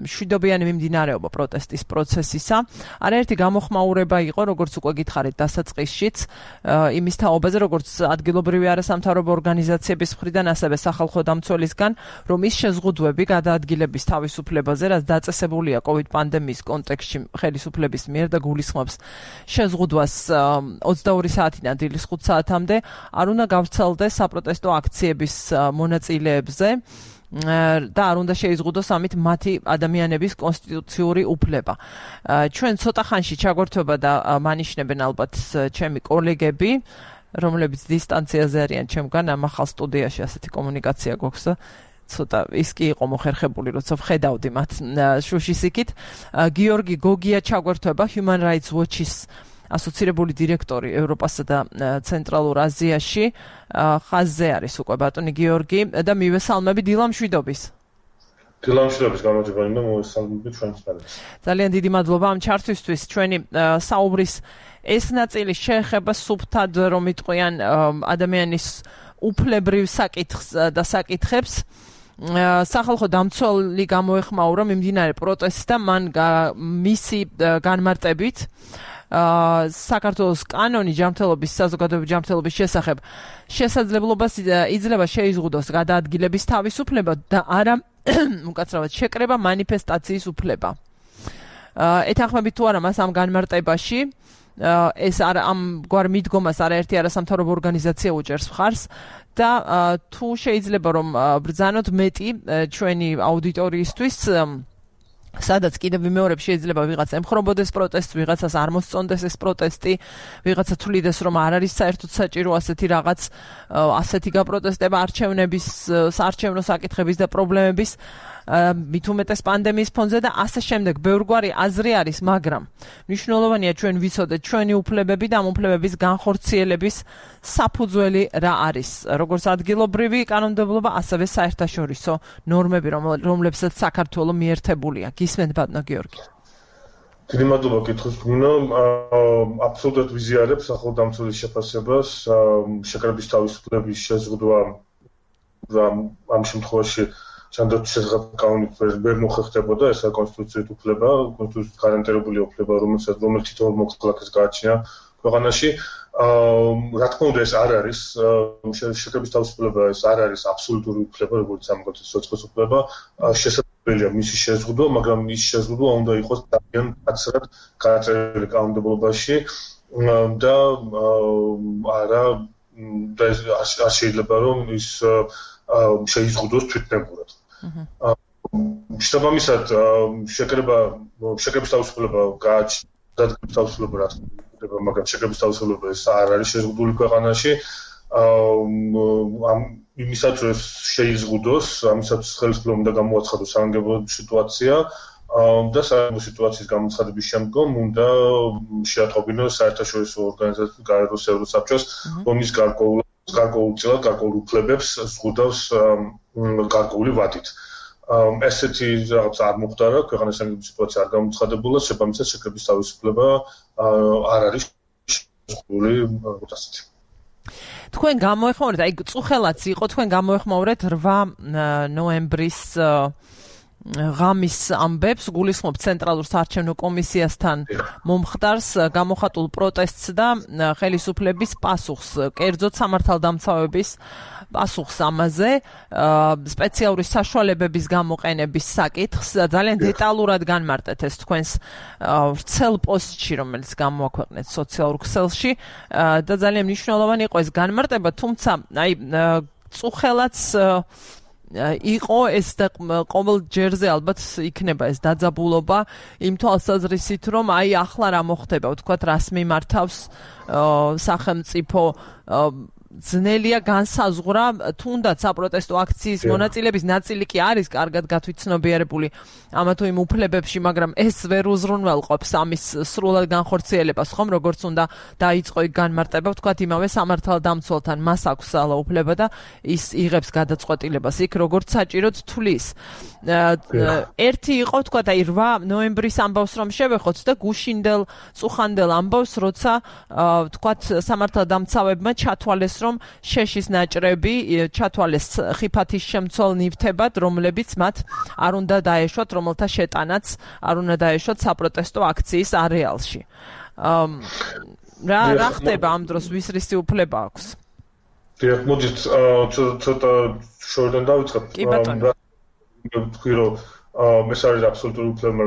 მშვიდობიანი მიმდინარეობა პროტესტის პროცესისა. არაერთი გამოხმაურება იყო, როგორც უკვე გითხარით დასაწყისშიც, იმის თაობაზე, როგორც ადგილობრივი არასამთავრობო ორგანიზაციების მხრიდან, ასევე სახალხო დამცველისგან, რომ ის შეზღუდვები გადაადგილების თავისუფლებაზე, რაც დაწესებულია COVID პანდემიის კონტექსტში ხელისუფლების მიერ და გულისხმობს შეზღუდვას 22 საათიდან დილის 5 საათამდე, არ უნდა გავრცელდეს საპროტესტო აქციების მონაწილეებზე და არ უნდა შეიზღუდოს ამით მათი ადამიანების კონსტიტუციური უფლება. ჩვენ ცოტა ხანში ჩაგვერთვება და მანიშნებენ ალბათ ჩემი კოლეგები, რომლებიც დისტანციაზე არიან ჩემგან, ამ ახალ სტუდიაში ასეთი კომუნიკაცია გვაქვს და ცოტა ის კი იყო მოხერხებული, როცა ვხედავდი მათ შუშის იქით. გიორგი გოგია ჩაგვერთვება, Human Rights Watch-ის ასოცირებული დირექტორი ევროპასა და ცენტრალურ აზიაში. ხაზზე არის უკვე ბატონი გიორგი და მივესალმები დილამშვიდობის. დილამშვიდობის გამარჯვებული და მოვესალმები ჩვენს ხალხს. ძალიან დიდი მადლობა ამ ჩართვისთვის. ჩვენი საუბრის ეს ნაწილი შეეხება სუფთად რომ იტყვიან ადამიანის უფლებრივ საკითხს და საკითხებს. სახალხო დამცველი გამოეხმაურა მიმდინარე პროტესტს და მან მისი განმარტებით საქართველოს კანონი ჯანმრთელობის საზოგადოებრივი ჯანმრთელობის შესახებ შესაძლებლობას იძლევა შეიზღუდოს გადაადგილების თავისუფლება და არა უკაცრავად შეკრება მანიფესტაციის უფლება. ეთანხმებით თუ არა მას ამ განმარტებაში ეს ამ გვარ მიდგომას არაერთი არასამთავრობო ორგანიზაცია უჭერს მხარს და თუ შეიძლება რომ ბრძანოთ მეტი ჩვენი აუდიტორიისთვის სადაც კიდევ ვიმეორებ შეიძლება ვიღაცა ემხრობოდეს პროტესტს, ვიღაცას არ მოსწონდეს ეს პროტესტი, ვიღაცა თვლიდეს რომ არ არის საერთოდ საჭირო ასეთი რაღაც, ასეთი გაპროტესტება არჩევნების, საარჩევნო საკითხების და პრობლემების მით უმეტეს პანდემიის ფონზე და ასე შემდეგ. ბევრგვარი აზრი არის, მაგრამ მნიშვნელოვანია ჩვენ ვიცოდეთ ჩვენი უფლებები და ამ უფლებების განხორციელების საფუძველი რა არის, როგორც ადგილობრივი კანონმდებლობა, ასევე საერთაშორისო ნორმები, რომლებსაც საქართველო მიერთებულია. გისმენთ ბატონო გიორგი. დიდი მადლობა კითხვის მინო აბსოლუტურად ვიზიარებს ახლოდამცველის შეფასებას შეკრების თავისუფლების შეზღუდვა ამ შემთხვევაში სანდოც შესაძლოა კანონით ვერ მოხერხდებოდა ესა კონსტიტუციით უფლება კონსტიტუციით გარანტირებული უფლება რომელიც თითოეულ მოქალაქეს გააჩნია ქვეყანაში რა თქმა უნდა ეს არ არის შეკრების თავისუფლება ეს არ არის აბსოლუტური უფლება როგორც ამგვარად სოციალური უფლება შესაძლებელია მისი შეზღუდვა მაგრამ ის შეზღუდვა უნდა იყოს ძალიან მკაცრად გადაწერილი კანონმდებლობაში და არა და არ შეიძლება რომ ის შეიზღუდოს თვითნებურად შესაბამისად შეკრების თავისუფლება გააჩნია დადგმის თავისუფლება რა თქმა უნდა მაგრამ შეკრების თავისუფლება ეს არ არის შეზღუდული ქვეყანაში იმისაც რომ შეიზღუდოს ამისაც ხელისუფლება უნდა გამოაცხადოს სამგებლო სიტუაცია და სამგებლო სიტუაციის გამოცხადების შემდგომ უნდა შეატყობინოს საერთაშორისო ორგანიზაციას გაეროს ევროსაბჭოს რომლის გარკვეულ უფლებებს ზღუდავს გარკვეული ვადით ესეთი რაღაც არ მოხდა ქვეყანას სამგებლო სიტუაცია არ გამოცხადებულა შესაბამისად შეკრების თავისუფლება არ არის შეზღუდული როგორც ასეთი თქვენ გამოეხმაურეთ აი წუხელაც იყო თქვენ გამოეხმაურეთ 8 ნოემბრის ღამის ამბებს გულისხმობ ცენტრალურ საარჩევნო კომისიასთან მომხდარს გამოხატულ პროტესტს და ხელისუფლების პასუხს კერძოდ სამართალდამცავების პასუხს ამაზე სპეციალური საშუალებების გამოყენების საკითხს ძალიან დეტალურად განმარტეთ ეს თქვენს ვრცელ პოსტში რომელიც გამოაქვეყნეთ სოციალურ ქსელში და ძალიან მნიშვნელოვანი იყო ეს განმარტება თუმცა აი წუხელაც იყო ეს და ყოველ ჯერზე ალბათ იქნება ეს დაძაბულობა იმ თვალსაზრისით რომ აი ახლა რა მოხდება ვთქვათ რას მიმართავს სახელმწიფო ძნელია განსაზღვრა თუნდაც საპროტესტო აქციის მონაწილეების ნაწილი კი არის კარგად გათვითცნობიერებული ამა თუ იმ უფლებებში მაგრამ ეს ვერ უზრუნველყოფს ამის სრულად განხორციელებას ხომ როგორც უნდა დაიწყო იქ განმარტება ვთქვათ იმავე სამართალდამცველთან მას აქვს სალა უფლება და ის იღებს გადაწყვეტილებას იქ როგორც საჭიროდ თulis ერთი იყო ვთქვათ აი 8 ნოემბრის ამბავს რომ შევეხოთ და გუშინდელ წუხანდელ ამბავს როცა ვთქვათ სამართალდამცავებმა ჩათვალეს რომ შეშის ნაჭრები ჩათვალეს ხიფათის შემცველ ნივთებად, რომლებიც მათ არ უნდა დაეშვათ, რომელთა შეტანაც არ უნდა დაეშვათ საპროტესტო აქციის არეალში. რა ხდება ამ დროს ვის რისი უფლება აქვს? დიახ, მოდით ცოტა შორიდან დავიწყებ. კი ბატონო. ვთქვი რომ ეს არის აბსოლუტური უფლება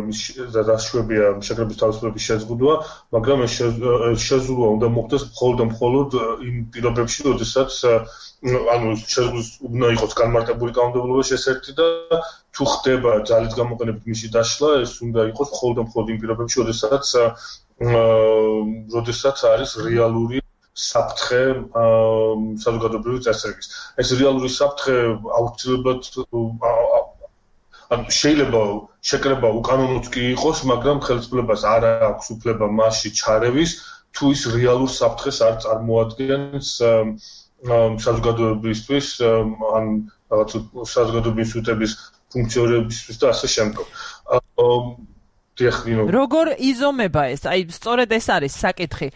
და დაშვებია შეკრების თავისუფლების შეზღუდვა, მაგრამ ეს შეზღუდვა უნდა მოხდეს მხოლოდ იმ პირობებში, როდესაც ანუ შეზღუდვის უნდა იყოს განმარტებული კანონმდებლობაში ეს ერთი და თუ ხდება ძალის გამოყენებით მისი დაშლა, ეს უნდა იყოს მხოლოდ იმ პირობებში, როდესაც არის რეალური საფრთხე საზოგადოებრივი წესრიგის. ეს რეალური საფრთხე აუცილებლად შეიძლება შეკრება უკანონოც კი იყოს, მაგრამ ხელისუფლებას არ აქვს უფლება მასში ჩარევის, თუ ის რეალურ საფრთხეს არ წარმოადგენს საზოგადოებისთვის, ან რაღაც საზოგადოების უსიტების ფუნქციონირებისთვის და ასე შემდგომ. როგორ იზომება ეს? აი, სწორედ ეს არის საკითხი.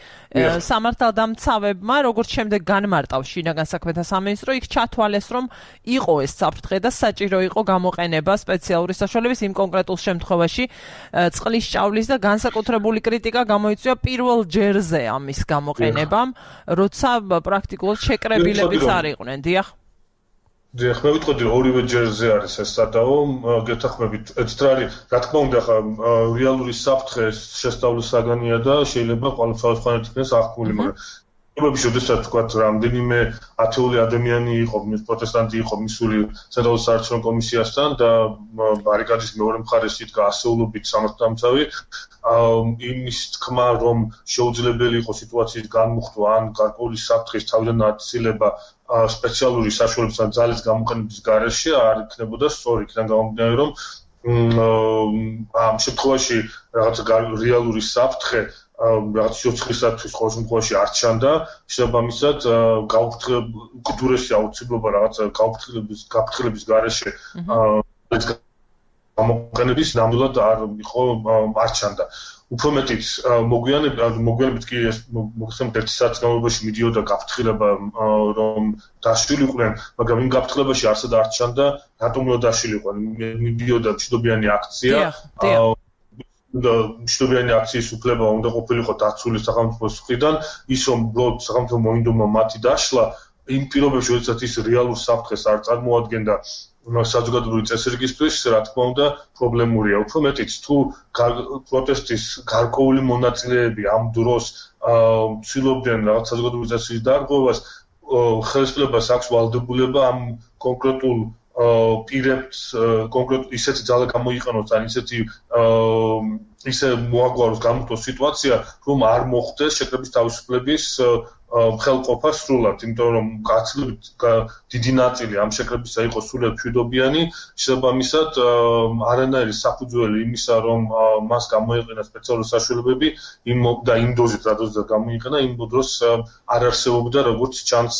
სამართალდამცავებმა როგორც შემდეგ განმარტავს შინაგან საქმეთა სამინისტრო, იქ ჩათვალეს, რომ იყო ეს საფრთხე და საჭირო იყო გამოყენება სპეციალური საშუალების იმ კონკრეტულ შემთხვევაში წყლის ჭავლის და განსაკუთრებული კრიტიკა გამოიწვია პირველ ჯერზე ამის გამოყენებამ, როცა პრაქტიკულად შეკრებილებიც არ იყვნენ. დიახ. დიახ, მე ვიტყოდი ორივე ჯერზე არის ეს სადაო, გეთახმებით. რა თქმა უნდა, ხა რეალური საფრთხე შესწავლის საგანია და შეიძლება ყოველთვის იქნეს აღქმული, მაგრამ პრობლემები შესაძლოა თქვათ, რამდენიმე ათეული ადამიანი იყო, პროტესტანტი იყო მისული ცენტრალურ საარჩევნო კომისიასთან და ბარიკადის მეორე მხარეს იდგა ასეულობით სამართალდამცავი. იმის თქმა, რომ შეუძლებელი იყო სიტუაციის განმუხტვა ან გარკვეული საფრთხის თავიდან აცილება სპეციალური საშუალების ან ძალის გამოყენების გარეშე არ იქნებოდა სწორი, იქიდან გამომდინარე, რომ ამ შემთხვევაში რაღაც რეალური საფრთხე რაღაც სიოცხლისათვის ყოველ შემთხვევაში არ ჩანდა, შესაბამისად უკიდურესი აუცილებლობა რაღაც გაფრთხილების გარეშე გამოყენების ნამდვილად არ ჩანდა. უფრო მეტიც მოგვიანებით კი ეს მოხსენებთ ერთი საათის განმავლობაში მიდიოდა გაფრთხილება რომ დაშლილიყვნენ, მაგრამ იმ გაფრთხილებაში არსად არ ჩანდა რატომ უნდა დაშლილიყვნენ. მიდიოდა მშვიდობიანი აქცია. მშვიდობიანი აქციის უფლება უნდა ყოფილიყო დაცული სახელმწიფოს მხრიდან, ის რომ უბრალოდ სახელმწიფო მოინდომა მათი დაშლა, იმ პირობებში, როდესაც ის რეალურ საფრთხეს არ წარმოადგენდა საზოგადოებრივი წესრიგისთვის, რა თქმა უნდა, პრობლემურია. უფრო მეტიც, თუ პროტესტის გარკვეული მონაწილეები ამ დროს ცდილობდნენ რაღაც საზოგადოებრივი წესრიგის დარღვევას, ხელისუფლებას აქვს ვალდებულება ამ კონკრეტულ პირებს კონკრეტ ისეთი ძალა გამოიყენოს ან ისე მოაგვაროს გამოტოს სიტუაცია, რომ არ მოხდეს შეკრების თავისუფლების ხელყოფა სრულად, იმიტომ რომ გაცილებით დიდი ნაწილი ამ შეკრებისა იყო სრულად მშვიდობიანი, შესაბამისად არანაირი საფუძველი იმისა, რომ მას გამოიყენა სპეციალური საშუალებები და იმ დოზით, რა დოზით გამოიყენა, იმ დროს არ არსებობდა როგორც ჩანს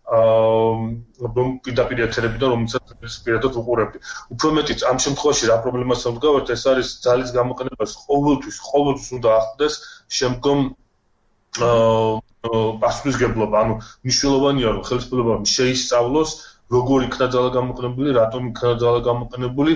რომ პირდაპირ ეთერებიდან რომელსაც პირადად უყურებდი. უფრო მეტიც ამ შემთხვევაში რა პრობლემასთან ვდგავართ, ეს არის ძალის გამოყენებას ყოველთვის უნდა ახდეს შემდგომ პასუხისმგებლობა, ანუ მნიშვნელოვანია რომ ხელისუფლებამ შეისწავლოს როგორ იქნა ძალა გამოყენებული, რატომ იქნა ძალა გამოყენებული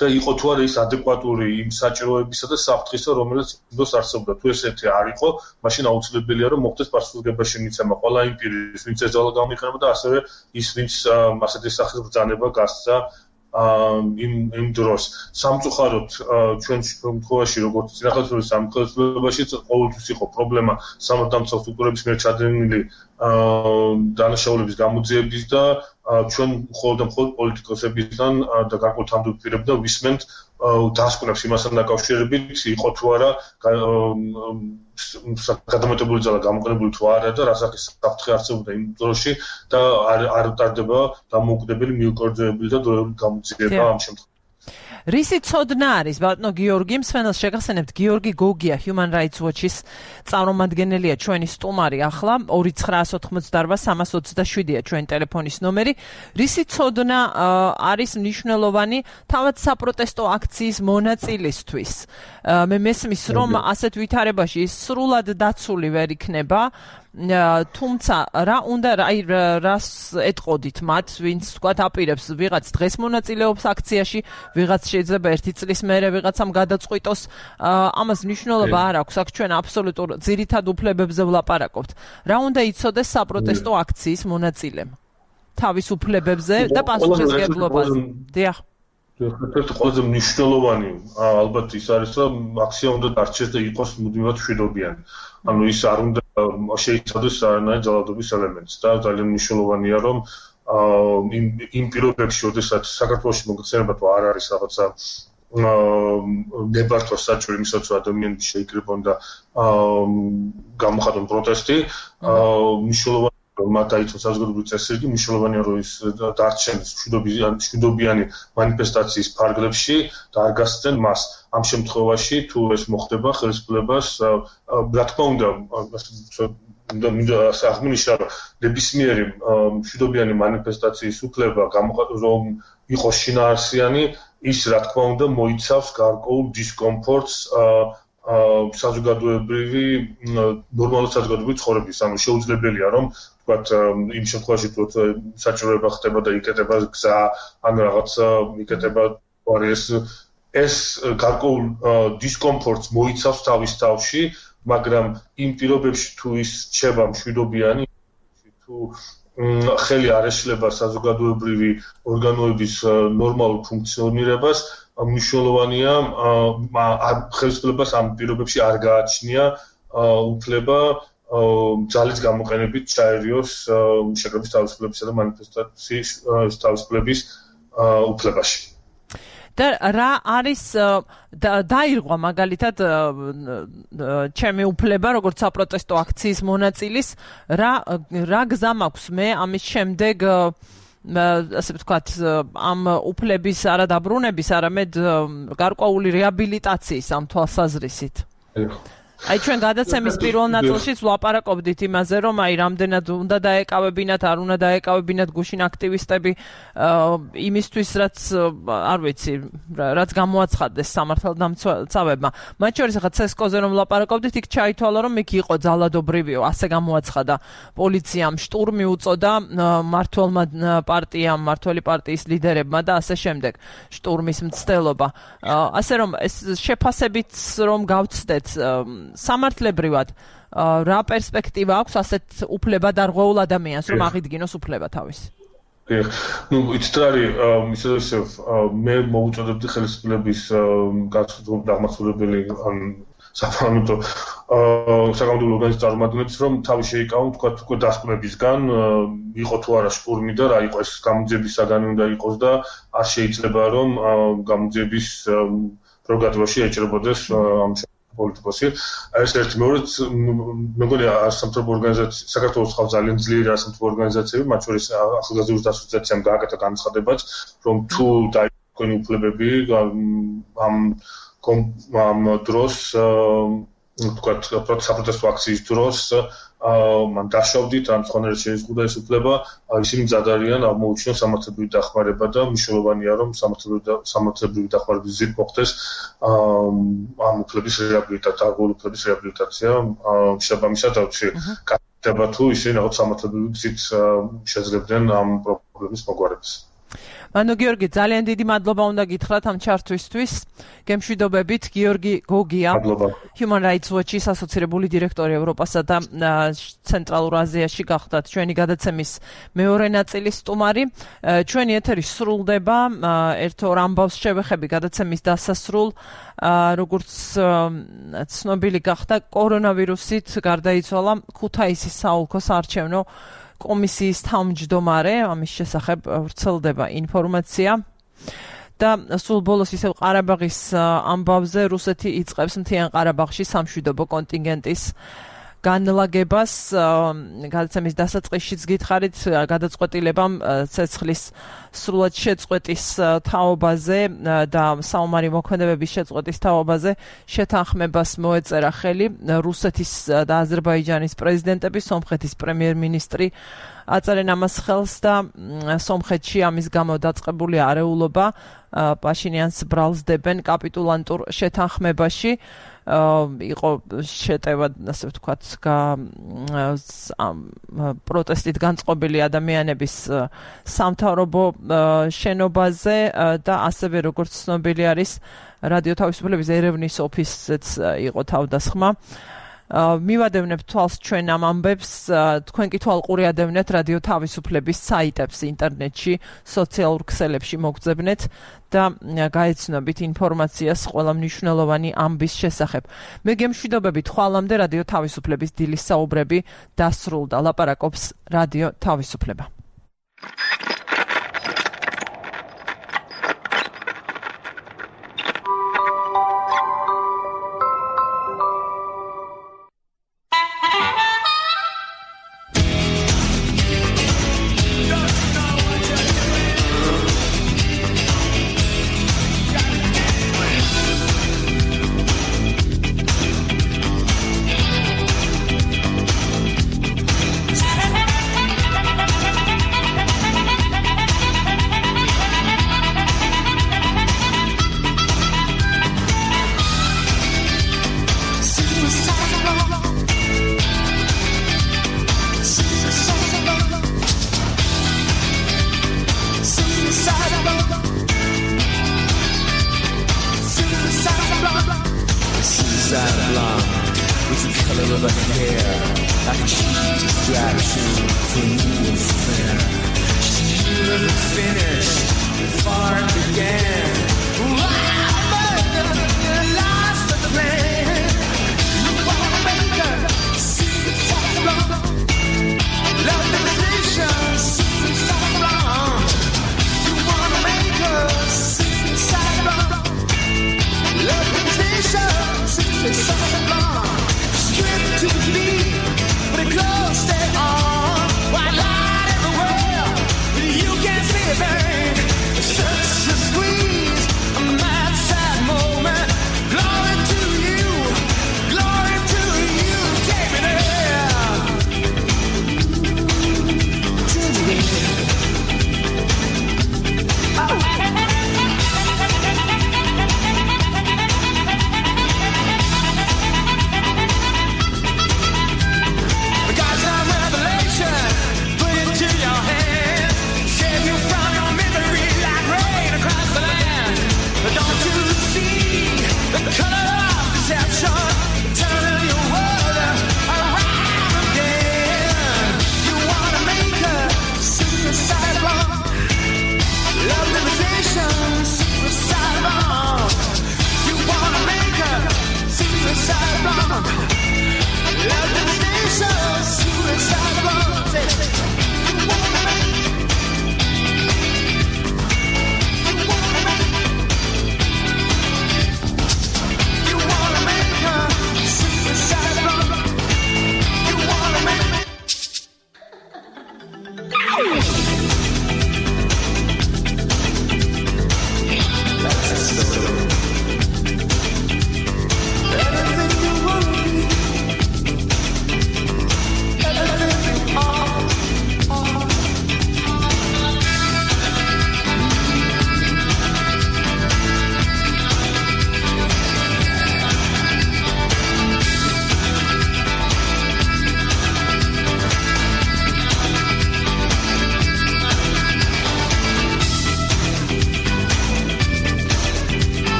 და იყო თუ არა ის ადეკვატური იმ საჭიროებისა და საფრთხისა, რომელიც დროს არსებობდა. თუ ესეთი არ იყო, მაშინ აუცილებელია რომ მოხდეს პასუხისმგებლობაში მიცემა ყველა იმ პირის, ვინც ეს ძალა გამოიყენება და ასევე ის, ვინც ასეთი სახის ბრძანება გასცა იმ დროს. სამწუხაროდ ჩვენ შემთხვევაში, როგორც წინახელისუფლების სამხელისუფლებაში ყოველთვის იყო პრობლემა სამართალდამცავ სტრუქტურების მიერ ჩადენილი დანაშაულების გამოძიების და ჩვენ მხოლოდ პოლიტიკოსებიდან და გარკვეულ თანამდებობ პირებიდან ვისმენთ დასკვნებს იმასთან დაკავშირებით, იყო თუ არა გადამეტებული ძალა გამოყენებული თუ არა და რა სახის საფრთხე არსებობდა იმ დროში და არ ტარდება დამოუკიდებელი მიუკერძოებული და დროებული გამოძიება ამ შემთხვევაში. რისი ცოდნა არის ბატონო გიორგი, მსმენელს შეგახსენებთ, გიორგი გოგია Human Rights Watch-ის წარმომადგენელია ჩვენი სტუმარი ახლა 2988-327-ია ჩვენი ტელეფონის ნომერი. რისი ცოდნა არის მნიშვნელოვანი თავად საპროტესტო აქციის მონაწილისთვის? მე მესმის რომ ასეთ ვითარებაში სრულად დაცული ვერ იქნება. თუმცა რა უნდა რას ეტყოდით მათ, ვინც თქვათ აპირებს ვიღაც დღეს მონაწილეობს აქციაში, ვიღაც შეიძლება 1 წლის მერე ვიღაცამ გადაწყვიტოს, ამას მნიშვნელობა არ აქვს, აქ ჩვენ აბსოლუტურ ძირითად უფლებებზე ვლაპარაკობთ. რა უნდა იცოდეს საპროტესტო აქციის მონაწილემ თავის უფლებებზე და პასუხისმგებლობაზე? დიახ. ერთ-ერთი ყველაზე მნიშვნელოვანი ალბათ ის არის, რომ აქცია უნდა დარჩეს და იყოს მუდმივად მშვიდობიანი. ანუ ის არ უნდა შეიცავდეს არანაირ ძალადობის ელემენტს და ძალიან მნიშვნელოვანია რომ იმ პირობებში, როდესაც საქართველოში მოგხსენება თუ არ არის რაღაცა ნებართვა საჭირო იმისაც რომ ადამიანები შეიკრიბონ და გამოხატონ პროტესტი, მნიშვნელოვანია რომ მათ დაიცვას საზოგადოებრივი წესრიგი, მნიშვნელოვანია რომ ის დარჩენ მშვიდობიანი მანიფესტაციის ფარგლებში და არ გასცენ მას. ამ შემთხვევაში თუ ეს მოხდება ხელისუფლებას, რა თქმა უნდა, აღნიშნა რომ ნებისმიერი მშვიდობიანი მანიფესტაციის უფლება რომ იყოს შინაარსიანი, ის რა თქმა უნდა მოიცავს გარკვეულ დისკომფორტს საზოგადოებრივი ნორმალური საზოგადოებრივი ცხოვრების, ანუ შეუძლებელია რომ ვთქვათ იმ შემთხვევაში თუ საჭიროება ხდება და იკეტება გზა, ან რაღაცა იკეტება ეს გარკვეულ დისკომფორტს მოიცავს თავის თავში, მაგრამ იმ პირობებში თუ ის რჩება მშვიდობიანი, თუ ხელი არ ეშლება საზოგადოებრივი ორგანოების ნორმალურ ფუნქციონირებას, მნიშვნელოვანია ხელისუფლებას ამ პირობებში არ გააჩნია უფლება ძალის გამოყენებით ჩაერიოს შეკრების თავისუფლებისა და მანიფესტაციის თავისუფლების უფლებაში. და რა არის დაირღვა მაგალითად ჩემი უფლება როგორც საპროტესტო აქციის მონაწილის, რა გზა მაქვს მე ამის შემდეგ ასე ვთქვათ ამ უფლების არა დაბრუნების, არამედ გარკვეული რეაბილიტაციის ამ თვალსაზრისით? აი ჩვენ გადაცემის პირველ ნაწილშიც ვლაპარაკობდით იმაზე, რომ აი რამდენად უნდა დაეკავებინათ, არ უნდა დაეკავებინათ გუშინ აქტივისტები იმისთვის, რაც არ ვიცი, რაც გამოაცხადდეს სამართალდამცავებმა. მათ შორის ახლა ცესკოზე რომ ვლაპარაკობდით, იქ ჩაითვალა, რომ იქ იყო ძალადობრივი, ასე გამოაცხადა პოლიციამ, შტურმი უწოდა მმართველმა პარტიამ, მმართველი პარტიის ლიდერებმა და ასე შემდეგ. შტურმის მცდელობა. ასე რომ ეს შეფასებით რომ გავცდეთ სამართლებრივად რა პერსპექტივა აქვს ასეთ უფლებადარღვეულ ადამიანს რომ აღიდგინოს უფლება თავისი? ну იცით რა არის ისე მე მოუწოდებდი ხელისუფლების გასაგრძელებელი ან საფრანგეთო საკანონმდებლო ორგანიზაციის წარმომადგენლებს რომ თავი შეიკავონ თქვათ უკვე დასკვნებისგან იყო თუ არა შტურმი და რა იყო ეს გამოძიების საგანი უნდა იყოს და არ შეიძლება რომ გამოძიების პროგრამაში ეჭრებოდეს ამ პოლიტიკოსი ეს ერთ მეორედ მეგონი სამთავრობო ორგანიზაცია საქართველოს ხალხ ძალიან ძლიერი სამთავრობო ორგანიზაციები მათ შორის ახალგაზრდობის ასოციაციამ გააკეთა განცხადებაც რომ თუ დაიქვენი უფლებები ამ დროს თქვათ საპროტესტო აქციის დროს მან დაშავდით ან სხვანაირად შეიზღუდა ეს უფლება ისინი მზად არიან აღმოუჩინოს სამართლებრივი დახმარება და მნიშვნელოვანია რომ სამართლებრივი დახმარების გზით მოხდეს ამ უფლების რეაბილიტაცია, არგული უფლების რეაბილიტაცია შესაბამისად აუცი კეთდება თუ ისინი რაღაც სამართლებრივი გზით შეძლებდნენ ამ პრობლემის მოგვარებას. მანო გიორგი, ძალიან დიდი მადლობა უნდა გითხრათ ამ ჩართვისთვის. გემშვიდობებით, გიორგი გოგია, Human Rights Watch-ის ასოცირებული დირექტორი ევროპასა და ცენტრალურ აზიაში გახდათ ჩვენი გადაცემის მეორე ნაწილის სტუმარი. ჩვენი ეთერი სრულდება, ერთ-ორ ამბავს შევეხები გადაცემის დასასრულ, როგორც ცნობილი გახდა, კორონავირუსით გარდაიცვალა ქუთაისის საოლქო საარჩევნო კომისიის თავმჯდომარე, ამის შესახებ ვრცელდება ინფორმაცია და სულ ბოლოს ისევ ყარაბაღის ამბავზე რუსეთი იწყებს მთიან ყარაბაღში სამშვიდობო კონტინგენტის განლაგებას. გადაცემის დასაწყისშიც გითხარით გადაწყვეტილებამ ცეცხლის სრულად შეწყვეტის თაობაზე და საომარი მოქმედებების შეწყვეტის თაობაზე შეთანხმებას მოეწერა ხელი რუსეთის და აზერბაიჯანის პრეზიდენტები, სომხეთის პრემიერ-მინისტრი აწერენ ამას ხელს და სომხეთში ამის გამო დაწყებული არეულობა პაშინიანს ბრალს დებენ კაპიტულანტურ შეთანხმებაში. იყო შეტევა, ასე ვთქვათ, პროტესტით განწყობილი ადამიანების სამთავრობო შენობაზე და ასევე როგორც ცნობილი არის რადიო თავისუფლების ერევნის ოფისზეც იყო თავდასხმა. მივადევნებთ თვალს ჩვენ ამ ამბებს, თქვენ კი თვალყური ადევნეთ რადიო თავისუფლების საიტებს ინტერნეტში, სოციალურ ქსელებში მოგძებნეთ და გაეცნობით ინფორმაციას ყველა მნიშვნელოვანი ამბის შესახებ. მე გემშვიდობებით ხვალამდე რადიო თავისუფლების დილის საუბრები დასრულდა. ლაპარაკობს რადიო თავისუფლება. Such a squeeze, a mad sad moment.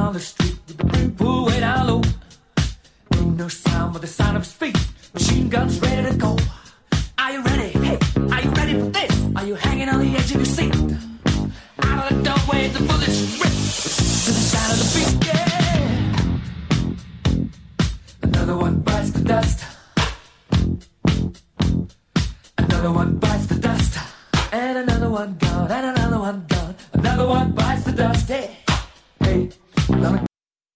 on the street with the brim pulled way down low. Ain't no sound but the sound of his feet. Machine guns ready to go. Are you ready? Hey, are you ready for this? Are you hanging on the edge of your seat? Out of the doorway, the bullets rip to the sound of the beat. Yeah. Another one bites the dust. Another one bites the dust. And another one gone. And another one gone. Another one bites the dust. Hey, hey, I'm gonna